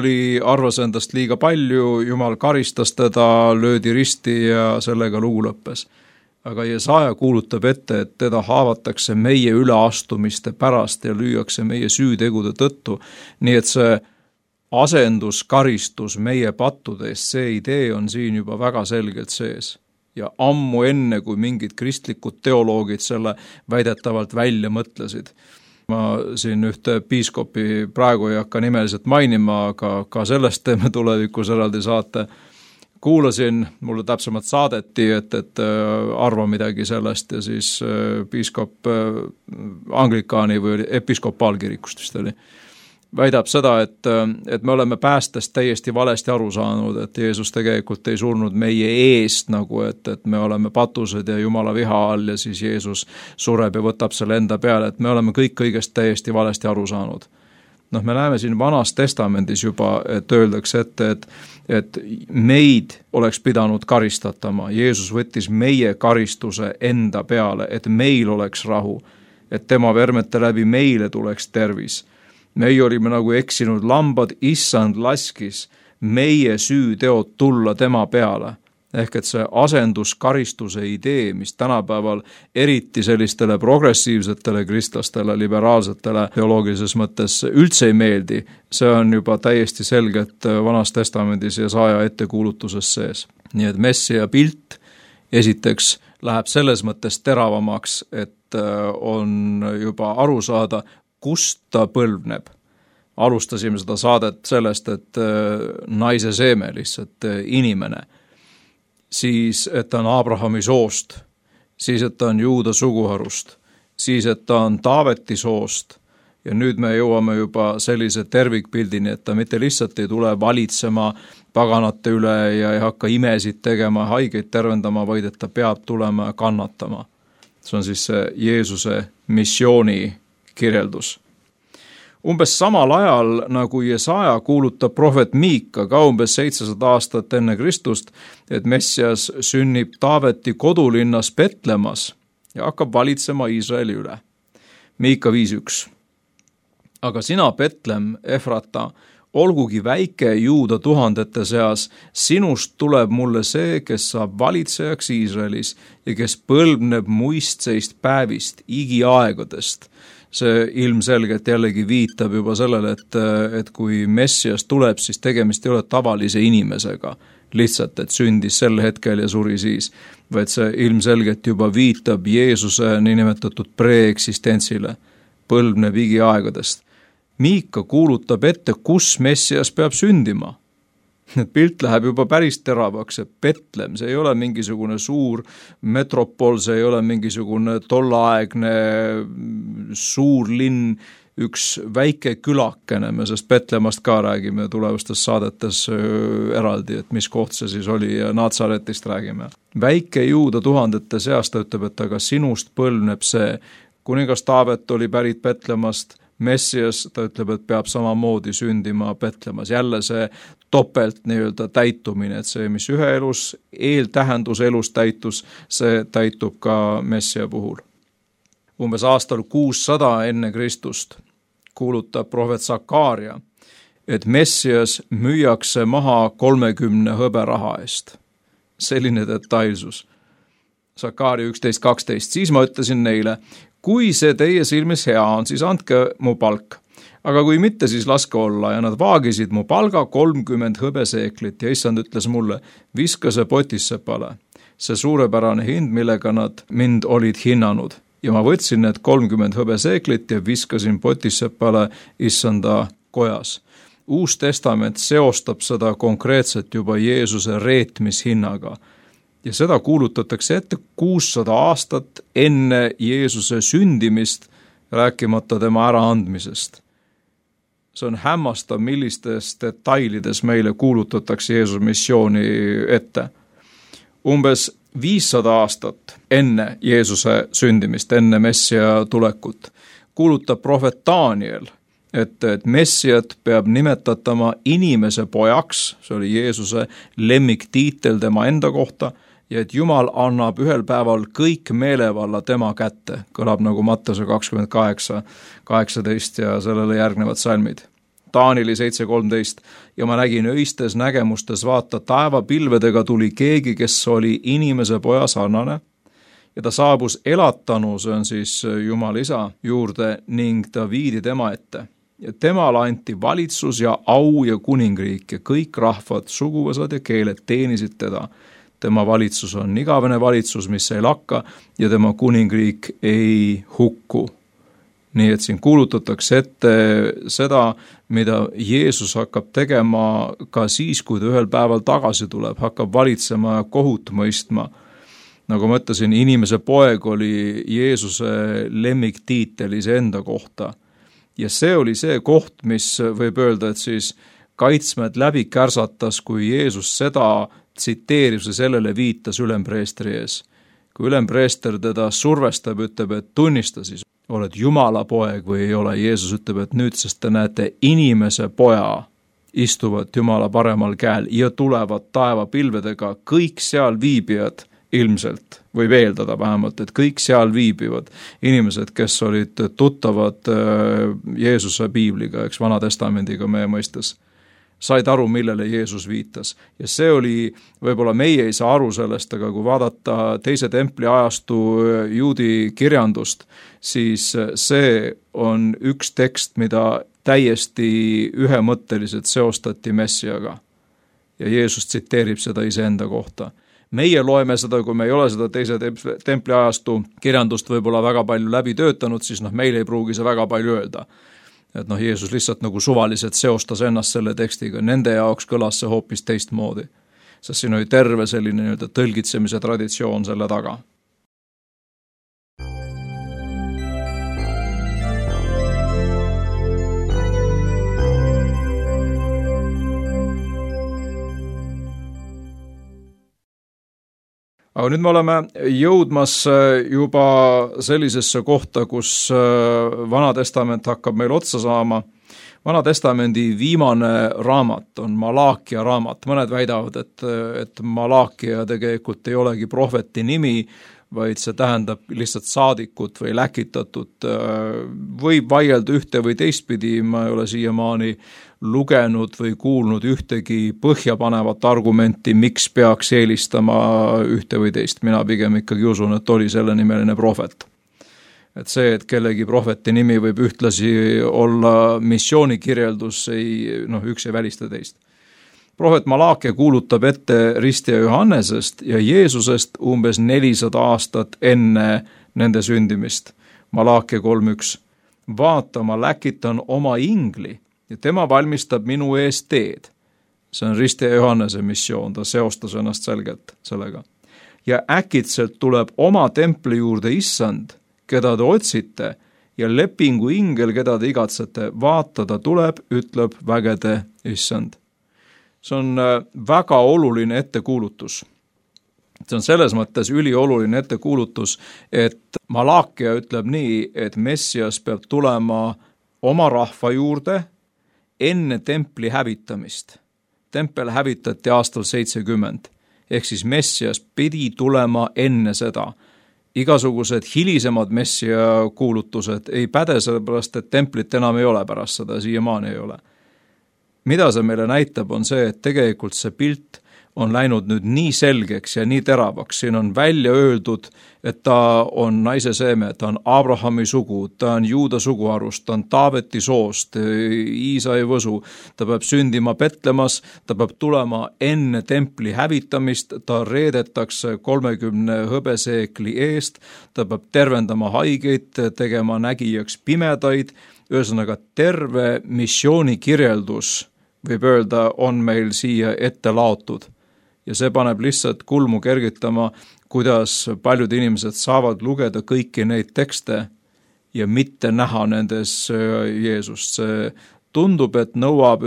arvas endast liiga palju, jumal karistas teda, löödi risti ja sellega lugu lõppes. Aga Jesaja kuulutab ette, et teda haavatakse meie üleastumiste pärast ja lüüakse meie süütegude tõttu. Nii et see asenduskaristus meie pattude eest, see idee on siin juba väga selgelt sees. Ja ammu enne, kui mingid kristlikud teoloogid selle väidetavalt välja mõtlesid. Ma siin ühte piiskopi praegu ei hakka nimeliselt mainima, aga ka sellest teeme tulevikus eraldi saate. Kuulasin, mulle täpsemalt saadeti, et arva midagi sellest ja siis piiskop Anglikaani või episkopaalkirikust vist oli. Väidab seda, et me oleme päästest täiesti valesti aru saanud, et Jeesus tegelikult ei surnud meie eest, nagu et me oleme patused ja Jumala viha all ja siis Jeesus sureb ja võtab selle enda peale, et me oleme kõik kõigest täiesti valesti aru saanud. Me näeme siin Vanas Testamendis juba, et öeldakse ette, et meid oleks pidanud karistatama. Jeesus võttis meie karistuse enda peale, et meil oleks rahu, et tema vermete läbi meile tuleks tervis. Meie olime nagu eksinud lambad, issand laskis meie süüteod tulla tema peale. Ehk et see asenduskaristuse idee, mis tänapäeval eriti sellistele progressiivsetele kristlastele, liberaalsetele teoloogilises mõttes üldse ei meeldi, see on juba täiesti selgelt Vanas Testamendis Jesaja ettekuulutuses sees. Nii et Messia pilt esiteks läheb selles mõttes teravamaks, et on juba aru saada, kust ta põlvneb. Alustasime seda saadet sellest, et naise seeme lihtsalt inimene. Siis, et ta on Abrahami soost, siis, et ta on Juuda suguharust, siis, et ta on Taaveti soost ja nüüd me jõuame juba sellise tervikpildini, et ta mitte lihtsalt ei tule valitsema paganate üle ja ei hakka imesid tegema, haigeid tervendama, vaid et ta peab tulema ja kannatama. See on siis see Jeesuse missiooni kirjeldus. Umbes samal ajal, nagu Jesaja kuulutab prohvet Miika ka umbes 700 aastat enne Kristust, et Messias sünnib Taaveti kodulinnas Betlemas ja hakkab valitsema Iisraeli üle. Miika 5.1. Aga sina, Betlem, Efrata, olgugi väike Juuda tuhandete seas, sinust tuleb mulle see, kes saab valitsejaks Iisraelis ja kes põlvneb muistseist päevist, igiaegadest. See ilmselgelt jällegi viitab juba sellele, et kui Messias tuleb, siis tegemist ei ole tavalise inimesega, lihtsalt, et sündis sel hetkel ja suri siis, vaid see ilmselgelt juba viitab Jeesuse niinimetatud preeksistentsile, põlvneb igiaegadest. Miika kuulutab ette, kus Messias peab sündima. Pilt läheb juba päris teravaks, et Betlem, see ei ole mingisugune suur metropol, see ei ole mingisugune tollaegne suur linn, üks väike külakene, me sest Betlemast ka räägime tulevastes saadetes eraldi, et mis koht see siis oli ja Natsaretist räägime. Väike Juuda tuhandete seast ta ütleb, et aga sinust põlvneb see, kuningas Taavet oli pärit Betlemast, Messias, ta ütleb, et peab samamoodi sündima Betlemas. Jälle see topelt nii-öelda täitumine, et see, mis ühe elus, eeltähendus elus täitus, see täitub ka Messia puhul. Umbes aastal 600 enne Kristust kuulutab prohvet Sakaaria, et Messias müüakse maha 30 hõberaha eest. Selline detailsus. Sakaaria 11.12. Siis ma ütlesin neile, kui see teie silmis hea on, siis andke mu palk. Aga kui mitte, siis laske olla ja nad vaagisid mu palga 30 hõbeseeklit ja issand ütles mulle, viska see potissepale. See suurepärane hind, millega nad mind olid hinnanud. Ja ma võtsin need 30 hõbeseeklit ja viskasin potissepale issanda kojas. Uus testament seostab seda konkreetselt juba Jeesuse reetmishinnaga. Ja seda kuulutatakse ette 600 aastat enne Jeesuse sündimist, rääkimata tema äraandmisest. See on hämmastav, millistes detailides meile kuulutatakse Jeesuse missiooni ette. Umbes 500 aastat enne Jeesuse sündimist, enne Messia tulekut, kuulutab prohvet Daniel, et Messiat peab nimetatama inimese pojaks, see oli Jeesuse lemmiktiitel tema enda kohta, ja et Jumal annab ühel päeval kõik meelevalla tema kätte, kõlab nagu Mattuse 28:18 ja sellele järgnevad salmid. Taanili 7:13 ja ma nägin öistes nägemustes, vaata, taevapilvedega tuli keegi, kes oli inimese poja sarnane, ja ta saabus elatanu, see on siis Jumal Isa, juurde ning ta viidi tema ette. Ja temale anti valitsus ja au ja kuningriik ja kõik rahvad, suguvõsad ja keeled teenisid teda. Tema valitsus on igavene valitsus, mis ei lakka, ja tema kuningriik ei hukku. Nii et siin kuulutatakse ette seda, mida Jeesus hakkab tegema ka siis, kui ta ühel päeval tagasi tuleb, hakkab valitsema ja kohut mõistma. Nagu ma ütlesin, inimese poeg oli Jeesuse lemmiktiitel iseenda kohta. Ja see oli see koht, mis võib öelda, et siis kaitsmed läbi kärsatas, kui Jeesus seda tsiteeris ja sellele viitas ülempreestri ees. Kui ülempreester teda survestab, ütleb, et tunnista siis, oled Jumala poeg või ei ole. Jeesus ütleb, et nüüd, sest te näete inimese poja istuvad Jumala paremal käel ja tulevad taevapilvedega, kõik seal viibijad ilmselt, võib eeldada vähemalt, et kõik seal viibivad inimesed, kes olid tuttavad Jeesuse piibliga, eks Vana Testamendiga meie mõistes, said aru, millele Jeesus viitas. Ja see oli, võib-olla meie ei saa aru sellest, aga kui vaadata teise templi ajastu juudi kirjandust, siis see on üks tekst, mida täiesti ühemõtteliselt seostati Messiaga. Ja Jeesus tsiteerib seda iseenda kohta. Meie loeme seda, kui me ei ole seda teise templi ajastu kirjandust võib-olla väga palju läbi töötanud, siis meil ei pruugi see väga palju öelda. Et Jeesus lihtsalt nagu suvaliselt seostas ennast selle tekstiga, nende jaoks kõlas see hoopis teistmoodi. Sest siin oli terve selline tõlgitsemise traditsioon selle taga. Aga nüüd me oleme jõudmas juba sellisesse kohta, kus Vana Testament hakkab meil otsa saama. Vana Testamendi viimane raamat on Malaakia raamat. Mõned väidavad, et Malaakia tegelikult ei olegi prohveti nimi, vaid see tähendab lihtsalt saadikut või läkitatut. Võib vaielda ühte või teistpidi, ma ei ole siiamaani lugenud või kuulnud ühtegi põhjapanevat argumenti, miks peaks eelistama ühte või teist. Mina pigem ikkagi usun, et oli selle nimeline prohvet. Et see, et kellegi prohveti nimi võib ühtlasi olla missioonikirjeldus, üks ei välista teist. Prohvet Malaakia kuulutab ette ristija Johannesest ja Jeesusest umbes 400 aastat enne nende sündimist. Malaakia 3:1. Vaata, ma läkitan oma ingli ja tema valmistab minu ees teed. See on ristija Johannese missioon, ta seostas ennast selgelt sellega. Ja äkitselt tuleb oma templi juurde issand, keda te otsite, ja lepingu ingel, keda te igatsete, vaata, ta tuleb, ütleb vägede issand. See on väga oluline ettekuulutus. See on selles mõttes ülioluline ettekuulutus, et Malaakia ütleb nii, et Messias peab tulema oma rahva juurde enne templi hävitamist. Tempel hävitati aastal 70, ehk siis Messias pidi tulema enne seda. Igasugused hilisemad Messia kuulutused ei päde sellepärast, et templit enam ei ole pärast seda, siiamaani ei ole. Mida see meile näitab, on see, et tegelikult see pilt on läinud nüüd nii selgeks ja nii teravaks. Siin on välja öeldud, et ta on naise seeme, ta on Abrahami sugu, ta on Juuda suguharust, ta on Taaveti soost, Iisai võsu, ta peab sündima Petlemas, ta peab tulema enne templi hävitamist, ta reedetakse 30 hõbeseekli eest, ta peab tervendama haigeid, tegema nägijaks pimedaid, ühesõnaga terve missioonikirjeldus, võib öelda, on meil siia ette laotud. Ja see paneb lihtsalt kulmu kergitama, kuidas paljud inimesed saavad lugeda kõiki neid tekste ja mitte näha nendes Jeesust. See tundub, et nõuab,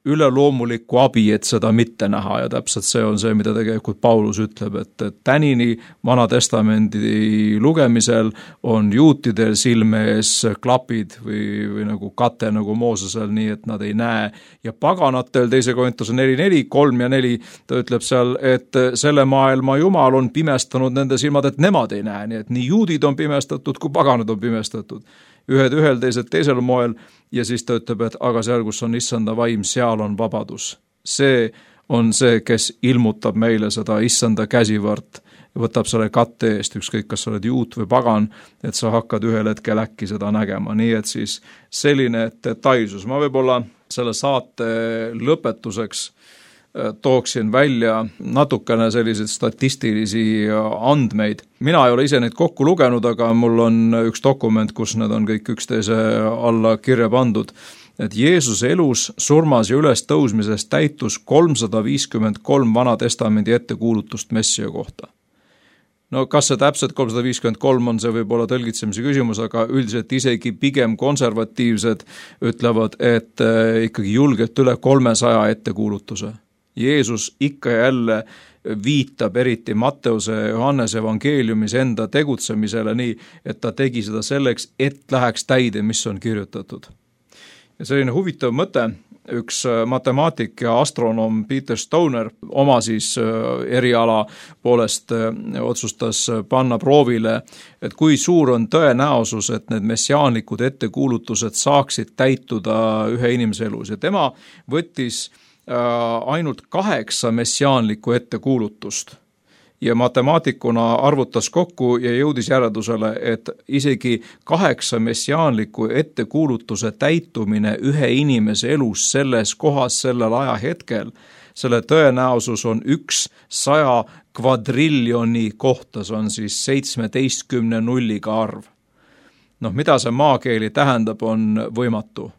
üleloomulikku abi, et seda mitte näha ja täpselt see on see, mida tegelikult Paulus ütleb, et tänini Vana Testamendi lugemisel on juutidel silme ees klapid või nagu kate nagu Moosesel, nii et nad ei näe ja paganatel 2. Korintuse 4:4, 3 ja 4, ta ütleb seal, et selle maailma Jumal on pimestanud nende silmad, et nemad ei näe, nii et nii juudid on pimestatud kui paganad on pimestatud. Ühed ühel, teised teisel moel ja siis ta ütleb, et aga seal, kus on issanda vaim, seal on vabadus. See on see, kes ilmutab meile seda issanda käsivõrt ja võtab selle katte eest, ükskõik kas sa oled juut või pagan, et sa hakkad ühel hetkel äkki seda nägema. Nii et siis selline detailsus. Ma võib-olla selle saate lõpetuseks tooksin välja natukene selliseid statistilisi andmeid. Mina ei ole ise neid kokku lugenud, aga mul on üks dokument, kus need on kõik üksteise alla kirja pandud. Et Jeesuse elus, surmas ja üles tõusmises täitus 353 Vana Testamendi ettekuulutust Messia kohta. No kas see täpselt 353 on, see võib olla tõlgitsemise küsimus, aga üldiselt isegi pigem konservatiivsed ütlevad, et ikkagi julgelt üle 300 ettekuulutuse. Jeesus ikka ja jälle viitab eriti Matteuse ja Johannese evangeeliumis enda tegutsemisele nii, et ta tegi seda selleks, et läheks täide, mis on kirjutatud. Ja selline huvitav mõte, üks matemaatik ja astronoom Peter Stoner oma siis eriala poolest otsustas panna proovile, et kui suur on tõenäosus, et need messiaanlikud ettekuulutused saaksid täituda ühe inimese elus. Ja tema võttis ainult 8 messiaanlikku ettekuulutust ja matemaatikuna arvutas kokku ja jõudis järeldusele, et isegi 8 messiaanliku ettekuulutuse täitumine ühe inimese elus selles kohas, sellel ajahetkel, selle tõenäosus on 100 kvadriljoni kohta, see on siis 17 nulliga arv. Mida see maakeeli tähendab, on võimatu.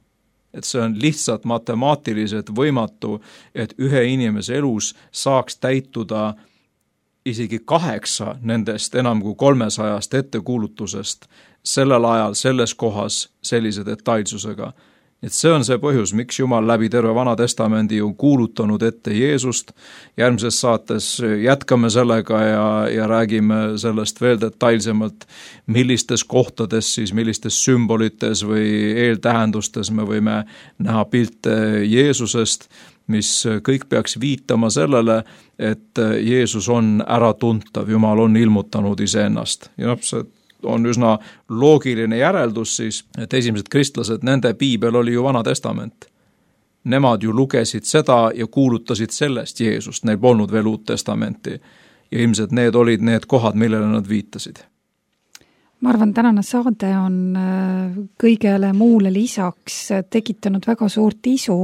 Et see on lihtsalt matemaatiliselt võimatu, et ühe inimese elus saaks täituda isegi 8 nendest enam kui 300 ettekuulutusest sellel ajal, selles kohas, sellise detailsusega. Et see on see põhjus, miks Jumal läbi terve Vana Testamendi on kuulutanud ette Jeesust. Järgmises saates jätkame sellega ja räägime sellest veel detailsemalt, millistes kohtades siis, millistes sümbolites või eeltähendustes me võime näha pilte Jeesusest, mis kõik peaks viitama sellele, et Jeesus on äratuntav, Jumal on ilmutanud iseennast. Ja see on üsna loogiline järeldus siis, et esimesed kristlased, nende piibel oli ju Vana Testament. Nemad ju lugesid seda ja kuulutasid sellest Jeesust, neil polnud veel Uut Testamenti. Ja ilmselt need olid need kohad, millele nad viitasid. Ma arvan, tänane saade on kõigele muule lisaks tekitanud väga suurt isu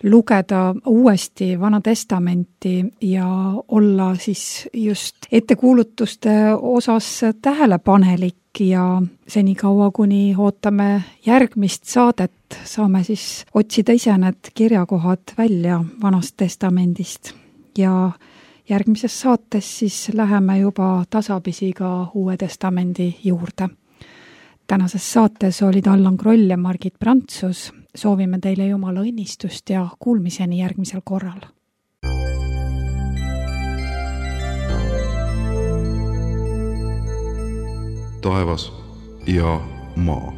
lugeda uuesti Vana Testamenti ja olla siis just ettekuulutuste osas tähelepanelik ja senikaua, kuni ootame järgmist saadet, saame siis otsida ise need kirjakohad välja Vanast Testamendist ja järgmises saates siis läheme juba tasapisi ka Uue Testamendi juurde. Tänases saates olid Allan Kroll ja Margit Prantsus. Soovime teile Jumala õnnistust ja kuulmiseni järgmisel korral. Taevas ja maa.